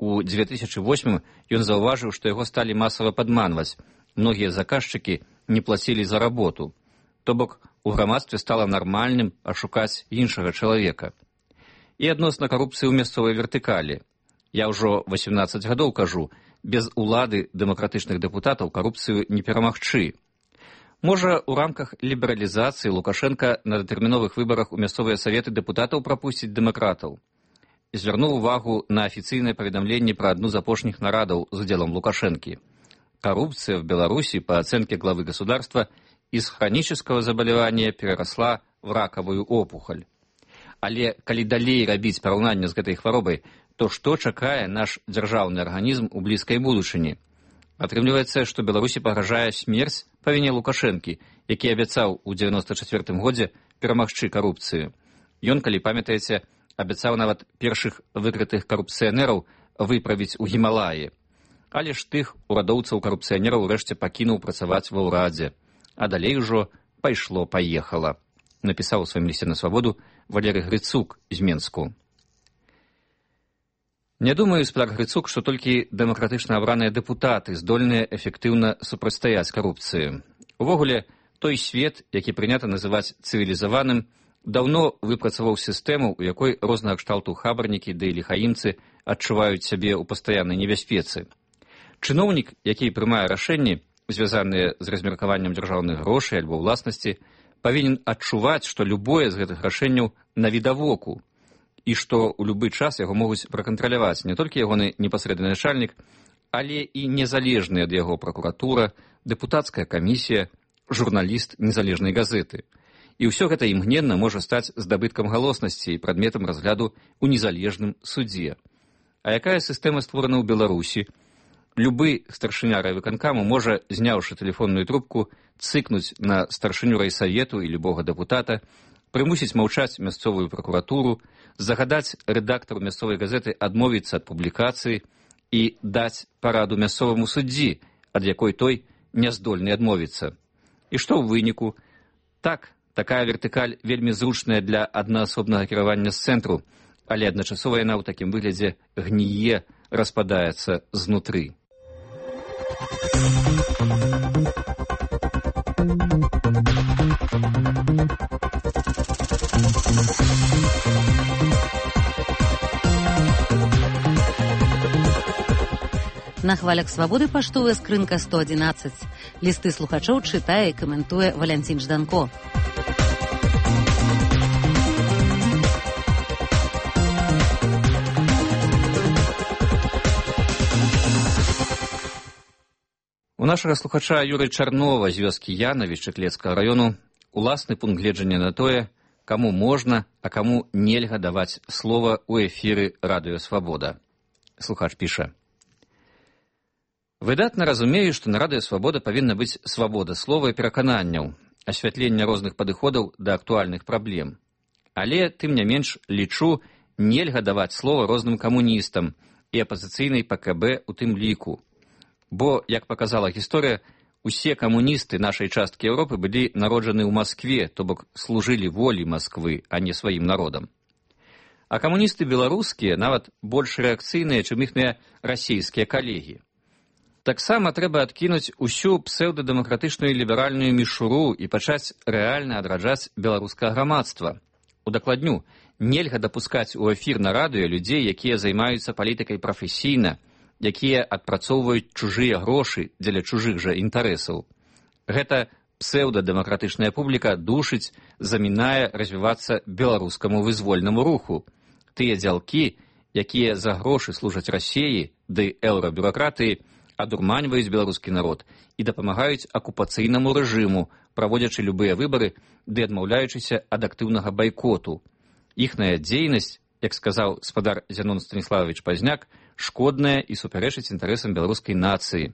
У 2008 ён заўважыў, што яго сталі масава падманваць. Многія заказчыкі не плацілі за работу. То бок, у грамадстве стала нармальным ашукаць іншага чалавека. І адносна карупцыі ў мясцовай вертыкалі. Я ўжо 18 гадоў кажу, без улады дэмакратычных дэпутатаў карупцыю не перамагчы. Можа, у рамках лібералізацыі Лукашенка на датэрміновых выбарах у мясцовыя саветы дэпутатаў прапусціць дэмакратаў. Звярнуў увагу на афіцыйнае паведамленне пра адну з апошніх нарадаў з удзелам Лукашэнкі. Коррупция в Беларуси, по оценке главы государства, из хронического заболевания переросла в раковую опухоль. Але калі далей рабіць параўнанне з гэтай хваробай, то што чакае наш дзяржаўны арганізм у блізкай будучыні? Атрымліваецца, што Беларусі пагражае смерць па віне Лукашэнкі, які абяцаў у 94 годзе перамагчы карупцыю. Ён, калі памятаеце, абяцаў нават першых выкрытых карупцыянераў выправіць у Гімалаі. Але ж тых урадоўцаў-карупцыянераў урэшце пакінуў працаваць ва ўрадзе. А далей ужо пайшло-паехала. Напісаў у сваім лісце на свабоду Валерый Грыцук з Менску. Не думаю, спадар Грыцук, што толькі дэмакратычна абраныя дэпутаты здольныя эфектыўна супрацьстаяць карупцыі. Увогуле, той свет, які прынята называць цывілізаваным, даўно выпрацаваў сістэму, у якой рознага кшталту хабарнікі ды ліхаімцы адчуваюць сябе ў пастаяннай небяспецы. Чыноўнік, які прымае рашэнні, звязаныя з размеркаваннем дзяржаўных грошай альбо ўласнасці, павінен адчуваць, што любое з гэтых рашэнняў навідавоку, і што ў любы час яго могуць пракантраляваць не толькі ягоны непасрэдны начальнік, але і незалежная ад яго пракуратура, дэпутацкая камісія, журналіст незалежнай газеты. І ўсё гэта імгненна можа стаць здабыткам галоснасці і прадметам разгляду ў незалежным судзе. А якая сістэма створана ў Беларусі? Любы старшыня райвыканкаму можа, зняўшы тэлефонную трубку, цыкнуць на старшыню райсавету і любога дэпутата, прымусіць маўчаць мясцовую пракуратуру, загадаць рэдактару мясцовай газеты адмовіцца ад публікацыі і даць параду мясцоваму суддзі, ад якой той не здольны адмовіцца. І што ў выніку? Так, такая вертыкаль вельмі зручная для аднаасобнага кіравання з цэнтру, але адначасова яна ў такім выглядзе гніе, распадаецца знутры. На хвалях свабоды паштовая скрынка 111. Лісты слухачоў чытае і каментуе Валянцін Жданко. У нашага слухача Юры Чарнова з вёскі Янавічы Клецкага раёну уласны пункт гледжання на тое, каму можна, а каму нельга даваць слова ў эфіры Радыё Свабода. Слухач піша: выдатна разумею, што на Радыё Свабода павінна быць свабода слова і перакананняў, асвятлення розных падыходаў да актуальных праблем. Але, тым не менш, лічу, нельга даваць слова розным камуністам і апазіцыйнай ПКБ у тым ліку. Бо, як паказала гісторыя, усе камуністы нашай часткі Еўропы былі народжаны ў Маскве, то бок служылі волі Масквы, а не сваім народам. А камуністы беларускія нават больш рэакцыйныя, чым іхныя расійскія калегі. Таксама трэба адкінуць усю псеўдадэмакратычную ліберальную мішуру і пачаць рэальна адраджаць беларускае грамадства. Удакладню, нельга дапускаць у эфір на радыё людзей, якія займаюцца палітыкай прафесійна, якія адпрацоўваюць чужыя грошы дзеля чужых жа інтарэсаў. Гэта псеўдадэмакратычная публіка душыць, замінае развівацца беларускаму вызвольнаму руху. Тыя дзялкі, якія за грошы служаць Расіі ды еўрабюракратыі, адурманьваюць беларускі народ і дапамагаюць акупацыйнаму рэжыму, праводзячы любыя выбары ды адмаўляючыся ад актыўнага байкоту. Іхная дзейнасць, як сказаў спадар Зянон Станіславович Пазняк, шкодная і супярэчыць інтарэсам беларускай нацыі.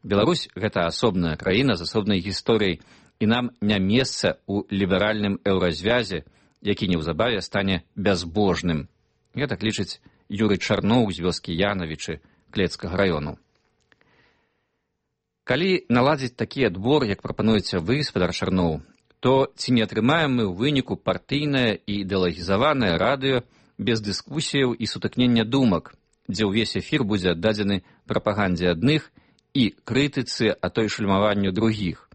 Беларусь – гэта асобная краіна з асобнай гісторыяй, і нам не месца ў ліберальным еўразвязе, які неўзабаве стане бязбожным. Гэтак лічыць Юрый Чарноў з вёскі Янавічы Клецкага раёну. Калі наладзіць такі адбор, як прапануеце вы, спадар Чарноў, то ці не атрымаем мы ў выніку партыйнае і ідэалагізаванае радыё без дыскусіяў і сутыкнення думак, дзе ўвесь эфір будзе аддадзены прапагандзе адных і крытыцы, а то і шульмаванню другіх.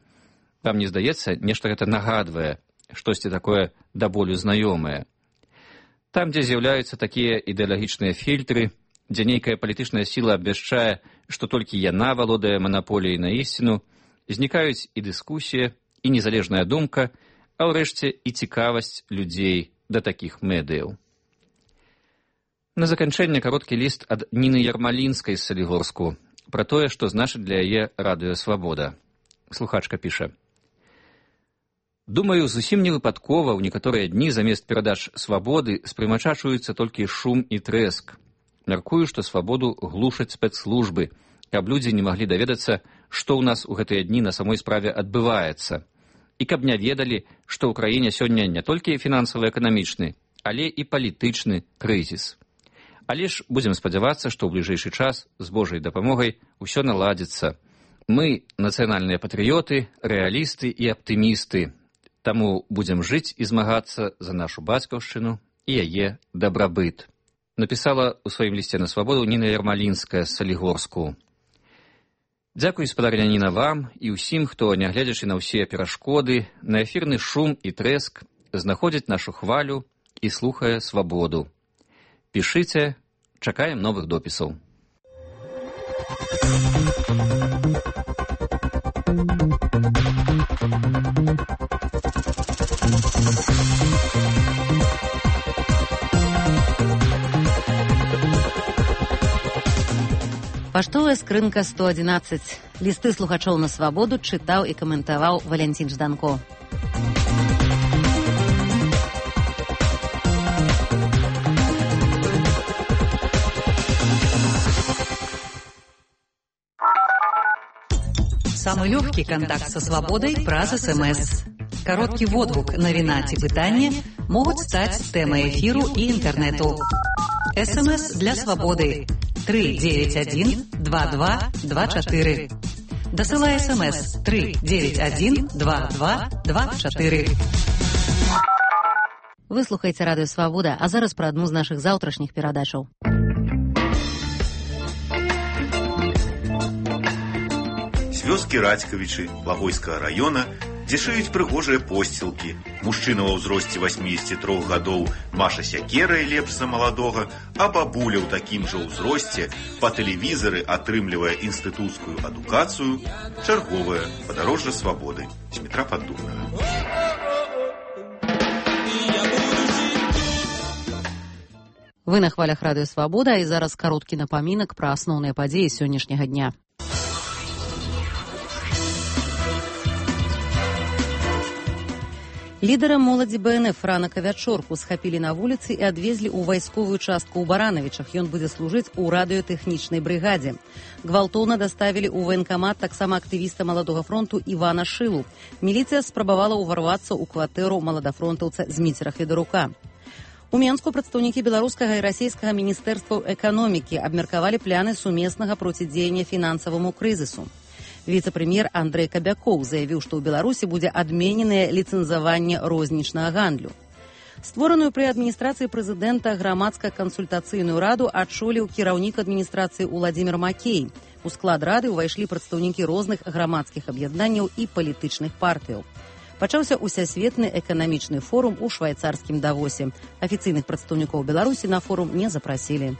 Вам не здаецца, нешта гэта нагадвае, штосьці такое да болю знаёмае. Там, дзе з'яўляюцца такія ідэалагічныя фільтры, дзе нейкая палітычная сіла абвяшчае, што толькі яна валодае манаполіяй на ісціну, знікаюць і дыскусія, і незалежная думка, а ўрэшце і цікавасць людзей да такіх медыяў. На заканчэнне кароткі ліст ад Ніны Ярмалінскай з Салігорску пра тое, што значыць для яе Радыё Свабода. Слухачка піша: думаю, зусім невыпадкова ў некаторыя дні замест перадач свабоды спрымачачуюцца толькі шум і трэск. Мяркую, што свабоду глушаць спецслужбы, каб людзі не маглі даведацца, што ў нас у гэтыя дні на самой справе адбываецца, і каб не ведалі, што ў краіне сёння не толькі фінансава-эканамічны, але і палітычны крызіс. Але ж будзем спадзявацца, што ў бліжэйшы час з Божай дапамогай усё наладзіцца. Мы нацыянальныя патрыёты, рэалісты і аптымісты, таму будзем жыць і змагацца за нашу бацькаўшчыну і яе дабрабыт. Напісала ў сваім лісце на свабоду Ніна Ярмалінская з Салігорску. Дзякуй, спадарня Ніна, вам і ўсім, хто, нягледзячы на ўсе перашкоды, на эфірны шум і трэск, знаходзіць нашу хвалю і слухае свабоду. Пішыце, Чакаем новых допісаў. Паштовая скрынка 111. Лісты слухачоў на свабоду чытаў і каментаваў Валянцін Жданко. Самый легкий контакт со свободой праз СМС. Короткий водгук, навіна ці пытанне могуць стаць тэмай эфіру і інтэрнэту. СМС для свободы 391-2224. Дасылай СМС 391-2224. Вы слухаеце радыё Свабода, а зараз пра адну з нашых заўтрашніх перадачаў. Вёскі Радзькавічы Лагойскага раёна, дзе шыюць прыгожыя посцілкі. Мужчына ва ўзросце 83 гадоў маша сякерай лепш за маладога, а бабуля ў такім жа ўзросце па тэлевізары атрымлівае інстытуцкую адукацыю. Чарговае падарожжа свабоды. Дмітра Паддубнага. Вы на хвалях радыё Свабода, і зараз кароткі напамінак пра асноўныя падзеі сённяшняга дня. Лідара моладзі БНФ ранак а вячорку схапілі на вуліцы і адвезлі ў вайсковую частку ў Баранавічах. Ён будзе служыць у радыётэхнічнай брыгадзе. Гвалтоўна даставілі ў ваенкамат таксама актывіста Маладога фронту Івана Шылу. Міліцыя спрабавала ўварвацца ў кватэру маладафронтаўца Зміцера Федарука. У Менску прадстаўнікі беларускага і расійскага міністэрстваў эканомікі абмеркавалі пляны сумеснага процідзеяння фінансаваму крызісу. Віцэ-прэм'ер Андрэй Кабякоў заявіў, што ў Беларусі будзе адмененае ліцэнзаванне рознічнага гандлю. Створаную пры адміністрацыі прэзідэнта грамадска-кансультацыйную раду адчоліў кіраўнік адміністрацыі Уладзімір Макей. У склад рады ўвайшлі прадстаўнікі розных грамадскіх аб'яднанняў і палітычных партыяў. Пачаўся усесветны эканамічны форум у швайцарскім Давосе. Афіцыйных прадстаўнікоў Беларусі на форум не запрасілі.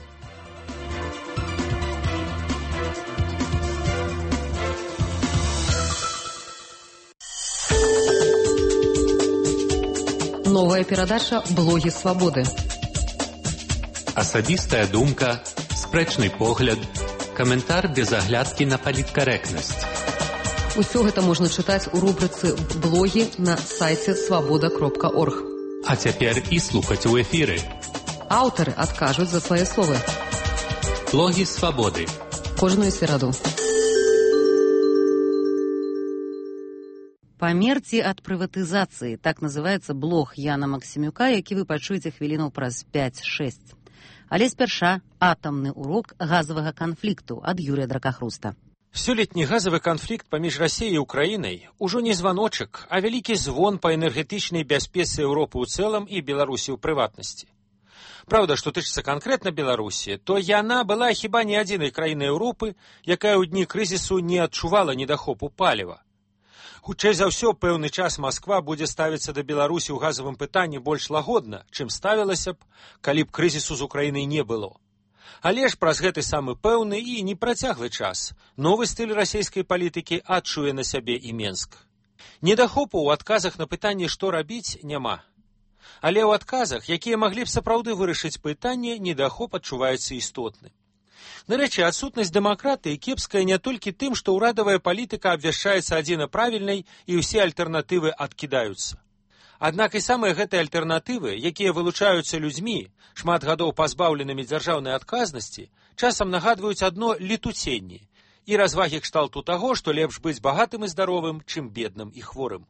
Новая перадача «Блогі свабоды». Асабістая думка, спрэчны погляд, каментар без аглядкі на паліткарэктнасць. Усё гэта можна чытаць у рубрыцы «Блогі» на сайце свабода.орг. А цяпер і слухаць у эфіры. Аўтары адкажуць за свае словы. «Блогі свабоды». Кожную сераду. Памерці ад прыватызацыі. Так называецца блог Яна Максімюка, які вы пачуеце хвілінаў праз 5-6. Але спярша атамны урок газавага канфлікту ад Юрія Дракахруста. Сёлетні газавы канфлікт паміж Расіяй і Украінай ужо не званочак, а вялікі звон па энергетычнай бяспецы Еўропы ў цэлым і Беларусі ў прыватнасці. Праўда, што тычыцца канкрэтна Беларусі, то яна была хіба не адзінай краінай Еўропы, якая ў дні крызісу не адчувала недахопу паліва. Хутчэй за ўсё, пэўны час Масква будзе ставіцца да Беларусі ў газавым пытанні больш лагодна, чым ставілася б, калі б крызісу з Украінай не было. Але ж праз гэты самы пэўны і непрацяглы час новы стыль расійскай палітыкі адчуе на сябе і Менск. Недахопу ў адказах на пытанне, што рабіць, няма. Але ў адказах, якія маглі б сапраўды вырашыць пытанне, недахоп адчуваецца істотны. Нарэчы, адсутнасць дэмакратыі кепская не толькі тым, што ўрадавая палітыка абвяшчаецца адзіна правільнай і ўсе альтэрнатывы адкідаюцца. Аднак і самыя гэтыя альтэрнатывы, якія вылучаюцца людзьмі, шмат гадоў пазбаўленымі дзяржаўнай адказнасці, часам нагадваюць адно летуценні і развагі кшталту таго, што лепш быць багатым і здаровым, чым бедным і хворым.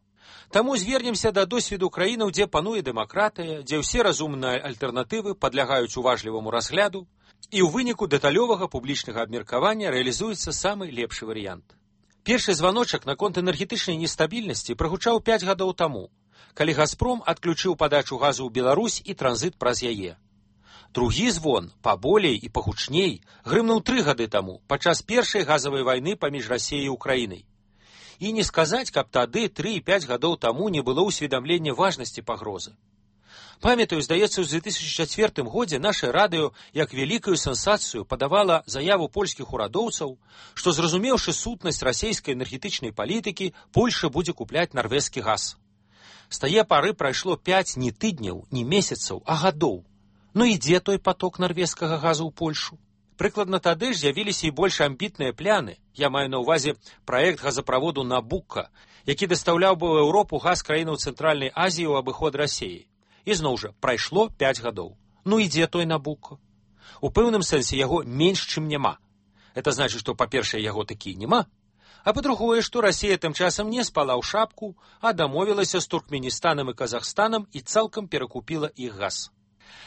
Таму звернемся да досведу краінаў, дзе пануе дэмакратыя, дзе ўсе разумныя альтэрнатывы падлягаюць уважліваму разгляду, і ў выніку дэталёвага публічнага абмеркавання рэалізуецца самы лепшы варыянт. Першы званочак наконт энергетычнай нестабільнасці прагучаў 5 гадоў таму, калі «Газпром» адключыў падачу газу ў Беларусь і транзіт праз яе. Другі звон, паболей і пагучней, грымнуў 3 гады таму, падчас першай газавай вайны паміж Расіяй і Украінай. І не сказаць, каб тады 3 і 5 гадоў таму не было ўсведамлення важнасці пагрозы. Памятаю, здаецца, у 2004 годзе наше радыё як вялікую сенсацыю падавала заяву польскіх урадоўцаў, што, зразумеўшы сутнасць расійскай энергетычнай палітыкі, Польша будзе купляць нарвежскі газ. З тае пары прайшло 5 не тыдняў, не месяцаў, а гадоў. Ну і дзе той поток нарвежскага газу ў Польшу? Прыкладна тады ж з'явіліся і больш амбітныя пляны, я маю на ўвазе праект газаправоду «Набука», які дастаўляў бы ў Еўропу газ краінаў Цэнтральнай Азіі ў абыход Расіі. І зноў жа, прайшло 5 гадоў. Ну і дзе той «Набука»? У пэўным сэнсе яго менш, чым няма. Это значыць, што, па-першае, яго такі нема, а па-другое, што Расія тым часам не спала ў шапку, а дамовілася з Туркменістанам і Казахстанам і цалкам перакупіла іх газ.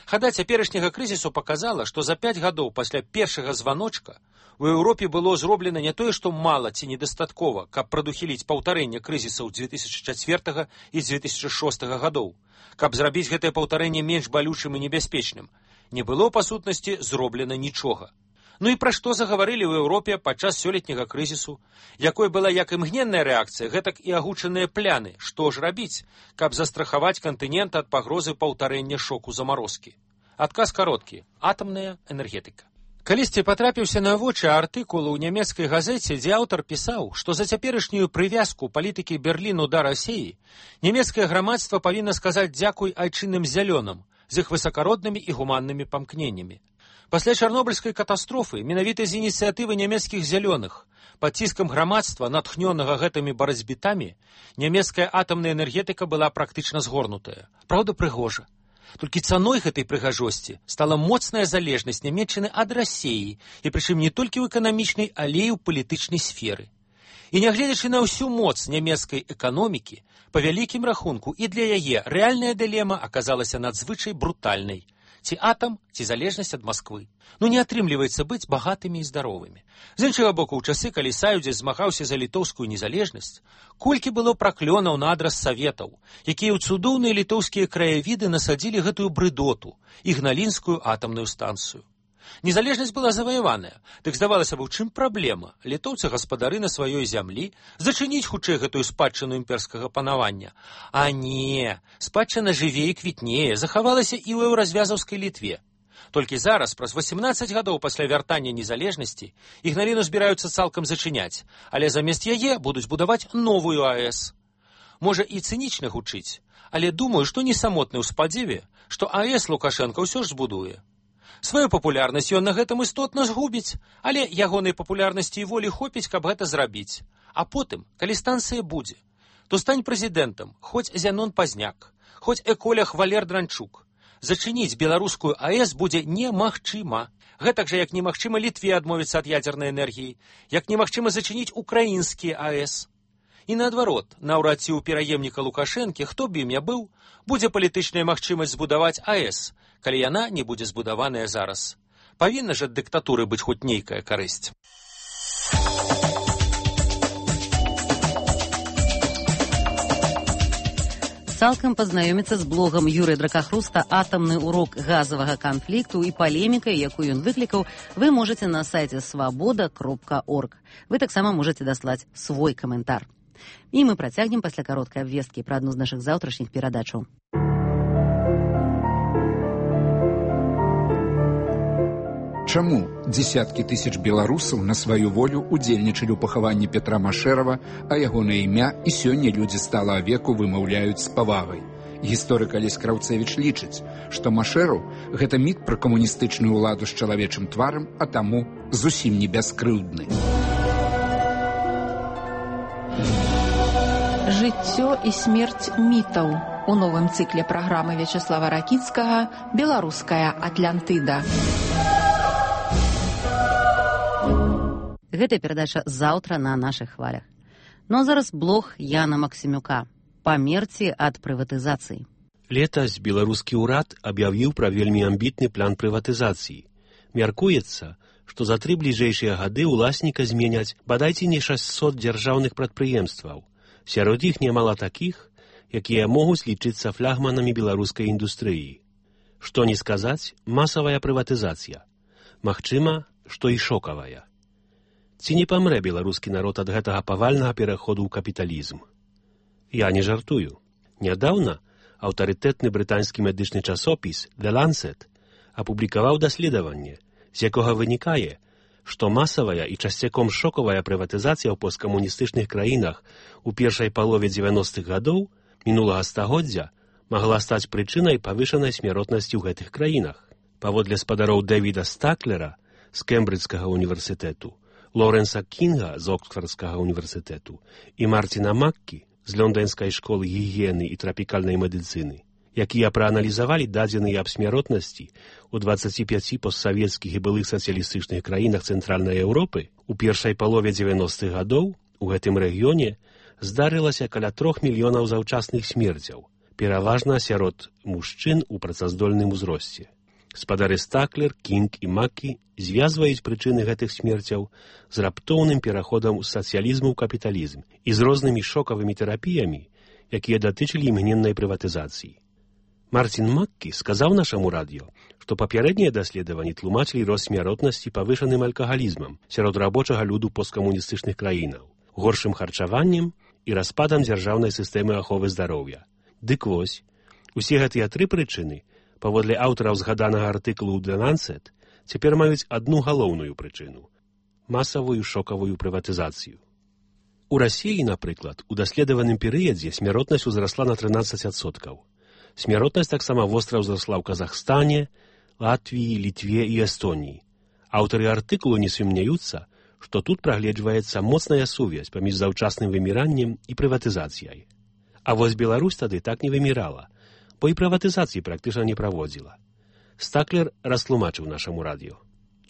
Хада цяперашняга крызісу паказала, што за 5 гадоў пасля першага званочка у Еўропе было зроблена не тое, што мала ці недастаткова, каб прадухіліць паўтарэнне крызісаў 2004 і 2006 гадоў, каб зрабіць гэтае паўтарэнне менш балючым і небяспечным. Не было, па сутнасці, зроблена нічога. Ну і пра што загаварылі ў Еўропе падчас сёлетняга крызісу, якой была як імгненная рэакцыя, гэтак і агучаныя пляны, што ж рабіць, каб застрахаваць кантынент ад пагрозы паўтарэння шоку замарозкі. Адказ кароткі – атамная энергетыка. Калісьці патрапіўся на вочы артыкул у нямецкай газеце, дзе аўтар пісаў, што за цяперашнюю прывязку палітыкі Берліну да Расіі нямецкае грамадства павінна сказаць дзякуй айчынным зялёным з іх высакароднымі і гуманнымі памкненнямі. Пасля чарнобыльскай катастрофы менавіта з ініцыятывы нямецкіх зялёных, пад ціскам грамадства, натхнёнага гэтымі барацьбітамі, нямецкая атамная энергетыка была практычна згорнутая. Праўда, прыгожа. Толькі цаной гэтай прыгажосці стала моцная залежнасць Нямецчыны ад Расіі, і прычым не толькі ў эканамічнай, але і ў палітычнай сферы. І нягледзячы на ўсю моц нямецкай эканомікі, па вялікім рахунку і для яе рэальная дылема аказалася надзвычай брутальнай. Ці атам, ці залежнасць ад Масквы. Ну не атрымліваецца быць багатымі і здаровымі. З іншага боку, у часы, калі Саюдзец змагаўся за літоўскую незалежнасць, колькі было праклёнаў на адрас саветаў, якія ў цудоўныя літоўскія краявіды насадзілі гэтую брыдоту, ігналінскую атамную станцыю. Незалежнасць была заваяваная, дык здавалася б, у чым праблема? Літоўцы гаспадары на сваёй зямлі, зачыніць хутчэй гэтую спадчыну імперскага панавання. А не, спадчына жыве і квітнее, захавалася і ў еўразвязаўскай Літве. Толькі зараз, праз 18 гадоў пасля вяртання незалежнасці, Ігналіну збіраюцца цалкам зачыняць, але замест яе будуць будаваць новую АЭС. Можа і цынічна гучыць, але думаю, што не самотны ў спадзеве, што АЭС Лукашенка ўсё ж збудуе. Сваю папулярнасць ён на гэтым істотна згубіць, але ягонай папулярнасці і волі хопіць, каб гэта зрабіць. А потым, калі станцыя будзе, то стань прэзідэнтам хоць Зянон Пазняк, хоць эколях Валер Дранчук. Зачыніць беларускую АЭС будзе немагчыма. Гэтак жа, як немагчыма Літве адмовіцца ад ядзернай энергіі, як немагчыма зачыніць украінскія АЭС. І наадварот, наўрад ці ў пераемніка Лукашэнкі, хто б ім не быў, будзе палітычная магчымасць збудаваць АЭС, калі яна не будзе збудаваная зараз. Павінна ж ад дыктатуры быць хоць нейкая карысць. Цалкам пазнаёміцца з блогам Юрыя Дракахруста «Атамны урок газавага канфлікту» і палемікай, якую ён выклікаў, вы можаце на сайце свабода.орг. Вы таксама можаце даслаць свой каментар. І мы працягнем пасля кароткай абвесткі пра адну з нашых заўтрашніх перадачаў. Чаму дзесяткі тысяч беларусаў на сваю волю удзельнічалі ў пахаванні Петра Машэрава, а ягонае імя і сёння людзі стала веку вымаўляюць з павагай? Гісторык Алесь Краўцэвіч лічыць, што Машэраў – гэта міт пра камуністычную ўладу з чалавечым тварам, а таму зусім не бяскрыўдны. Жыццё і смерць мітаў у новым цыкле праграмы Вячеслава Ракіцкага «Беларуская Атлантыда». Гэта перадача заўтра на нашых хвалях. Ну а зараз блог Яна Максімюка. Памерці ад прыватызацыі. Летась беларускі ўрад аб'явіў пра вельмі амбітны план прыватызацыі. Мяркуецца, што за 3 бліжэйшыя гады ўласніка зменяць бадайце не 600 дзяржаўных прадпрыемстваў. Сярод іх нямала такіх, якія могуць лічыцца флагманамі беларускай індустрыі. Што не сказаць, масавая прыватызацыя. Магчыма, што і шокавая. Ці не памрэ беларускі народ ад гэтага павальнага пераходу ў капіталізм? Я не жартую. Нядаўна аўтарытэтны брытанскі медычны часопіс The Lancet апублікаваў даследаванне, з якога вынікае, што масавая і часцяком шокавая прыватызацыя ў посткамуністычных краінах у першай палове 90-х гадоў мінулага стагоддзя магла стаць прычынай павышанай смяротнасці ў гэтых краінах. Паводле спадароў Дэвіда Стаклера з Кембриджскага універсітэту, Лоренса Кінга з Оксфордскага універсітэту і Марціна Маккі з Лондонскай школы гігіены і трапікальнай медыцыны, якія прааналізавалі дадзеныя аб смяротнасці ў 25 постсавецкіх і былых сацыялістычных краінах Цэнтральнай Еўропы, у першай палове 90-х гадоў у гэтым рэгіёне здарылася каля 3 мільёнаў заўчасных смерцяў, пераважна сярод мужчын у працаздольным узросце. Спадары Стаклер, Кінг і Маккі звязваюць прычыны гэтых смерцяў з раптоўным пераходам з сацыялізму ў капіталізм і з рознымі шокавымі тэрапіямі, якія датычылі імгненнай прыватызацыі. Марцін Маккі сказаў нашаму радыё, што папярэднія даследаванні тлумачылі рост смяротнасці павышаным алкагалізмам сярод рабочага люду посткамуністычных краінаў, горшым харчаваннем і распадам дзяржаўнай сістэмы аховы здароўя. Дык вось, усе гэтыя тры прычыны, паводле аўтараў згаданага артыкулу The Lancet, цяпер маюць адну галоўную прычыну – масавую шокавую прыватызацыю. У Расіі, напрыклад, у даследаваным перыядзе смяротнасць узрасла на 13%. Смяротнасць таксама востра ўзрасла ў Казахстане, Латвіі, Літве і Эстоніі. Аўтары артыкулу не сумняюцца, што тут прагледжваецца моцная сувязь паміж заўчасным выміраннем і прыватызацыяй. А вось Беларусь тады так не вымірала, бо і прыватызацыі практычна не праводзіла. Стаклер растлумачыў нашаму радыё,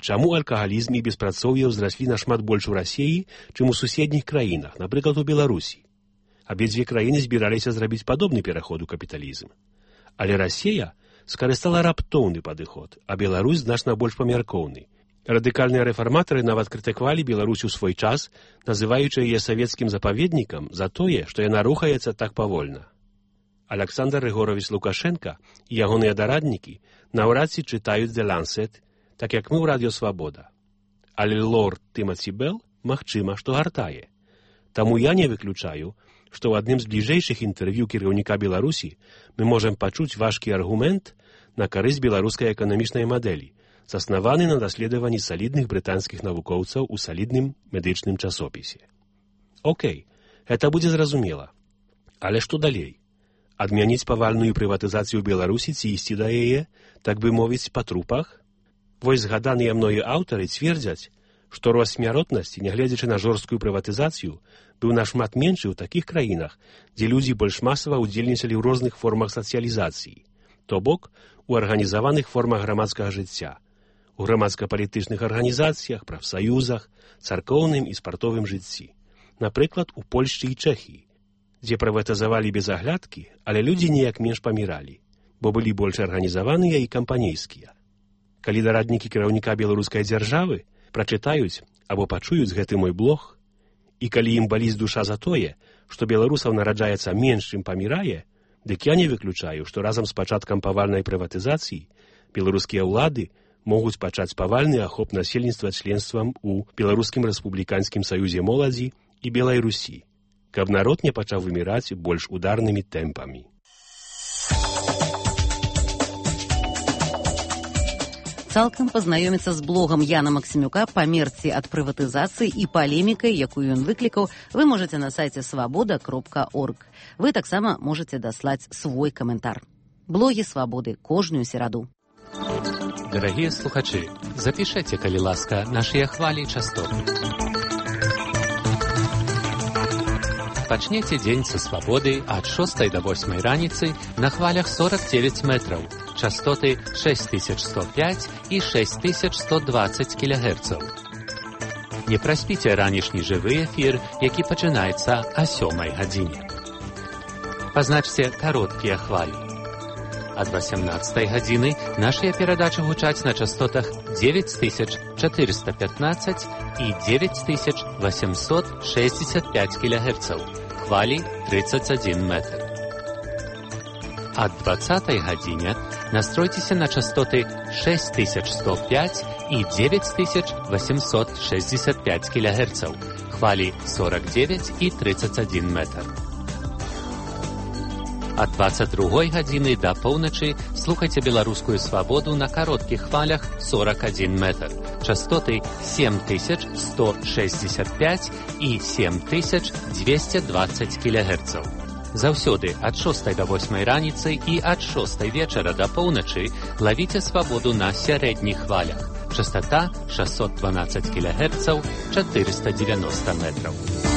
чаму алкагалізм і беспрацоўе ўзраслі нашмат больш у Расіі, чым у суседніх краінах, напрыклад, у Беларусі. Абедзве краіны збіраліся зрабіць падобны пераход у капіталізм. Але Расія скарыстала раптоўны падыход, а Беларусь значна больш памяркоўны. Радыкальныя рэфарматары нават крытыкавалі Беларусь у свой час, называючы яе савецкім запаведнікам за тое, што яна рухаецца так павольна. Аляксандр Рыгорович Лукашенка і ягоныя дараднікі наўрад ці чытаюць The Lancet, так як мы ў Радыё Свабода. Але лорд Тымаці Белл, магчыма, што гартае. Таму я не выключаю, што ў адным з бліжэйшых інтэрв'ю кіраўніка Беларусі мы можам пачуць важкі аргумент на карысць беларускай эканамічнай мадэлі, заснаваны на даследаванні салідных брытанскіх навукоўцаў у салідным медычным часопісе. Окей, гэта будзе зразумела. Але што далей? Адмяніць павальную прыватызацыю Беларусі ці ісці да яе, так бы мовіць, па трупах? Вось згаданыя мною аўтары цвердзяць, што рост смяротнасці, нягледзячы на жорсткую прыватызацыю, быў нашмат меншы ў такіх краінах, дзе людзі больш масава ўдзельнічалі ў розных формах сацыялізацыі, то бок у арганізаваных формах грамадскага жыцця, у грамадска-палітычных арганізацыях, прафсаюзах, царкоўным і спартовым жыцці. Напрыклад, у Польшчы і Чэхіі, дзе прыватызавалі без аглядкі, але людзі неяк менш паміралі, бо былі больш арганізаваныя і кампанейскія. Калі дараднікі кіраўніка беларускай дзяржавы прачытаюць або пачуюць гэты мой блог, і калі ім баліць душа за тое, што беларусаў нараджаецца менш, чым памірае, дык я не выключаю, што разам з пачаткам павальнай прыватызацыі беларускія ўлады могуць пачаць павальны ахоп насельніцтва членствам у Беларускім рэспубліканскім саюзе моладзі і Белай Русі, каб народ не пачаў выміраць больш ударнымі тэмпамі. Цалкам пазнаёміцца з блогам Яна Максімюка «Памерці ад прыватызацыі» і палемікай, якую ён выклікаў, вы можаце на сайце свабода.орг. Вы таксама можаце даслаць свой каментар. Блогі Свабоды кожную сераду. Дарагія слухачы, запішэце, калі ласка, нашыя хвалі і частоты. Пачнеце дзень са свабоды ад 6 до 8 раніцы на хвалях 49 метраў, частоты 6105 і 6120 кГц. Не праспіце ранішні жывы эфір, які пачынаецца о 7 гадзіне. Пазначце кароткія хвалі. Ад 18 гадзіны нашыя перадачы гучаць на частотах 9415 і 9865 кГц, хвалі 31 метр. Ад 20 гадзіне настройцеся на частоты 6105 і 9865 кГц, хвалі 49 і 31 метр. Ад 22 гадзіны да поўначы слухайце беларускую свабоду на кароткіх хвалях 41 метр. Частоты 7165 і 7220 кГц. Заўсёды ад 6 до 8 раніцы і ад 6 вечара да поўначы лавіце свабоду на сярэдніх хвалях. Частота 612 кГц, 490 метров.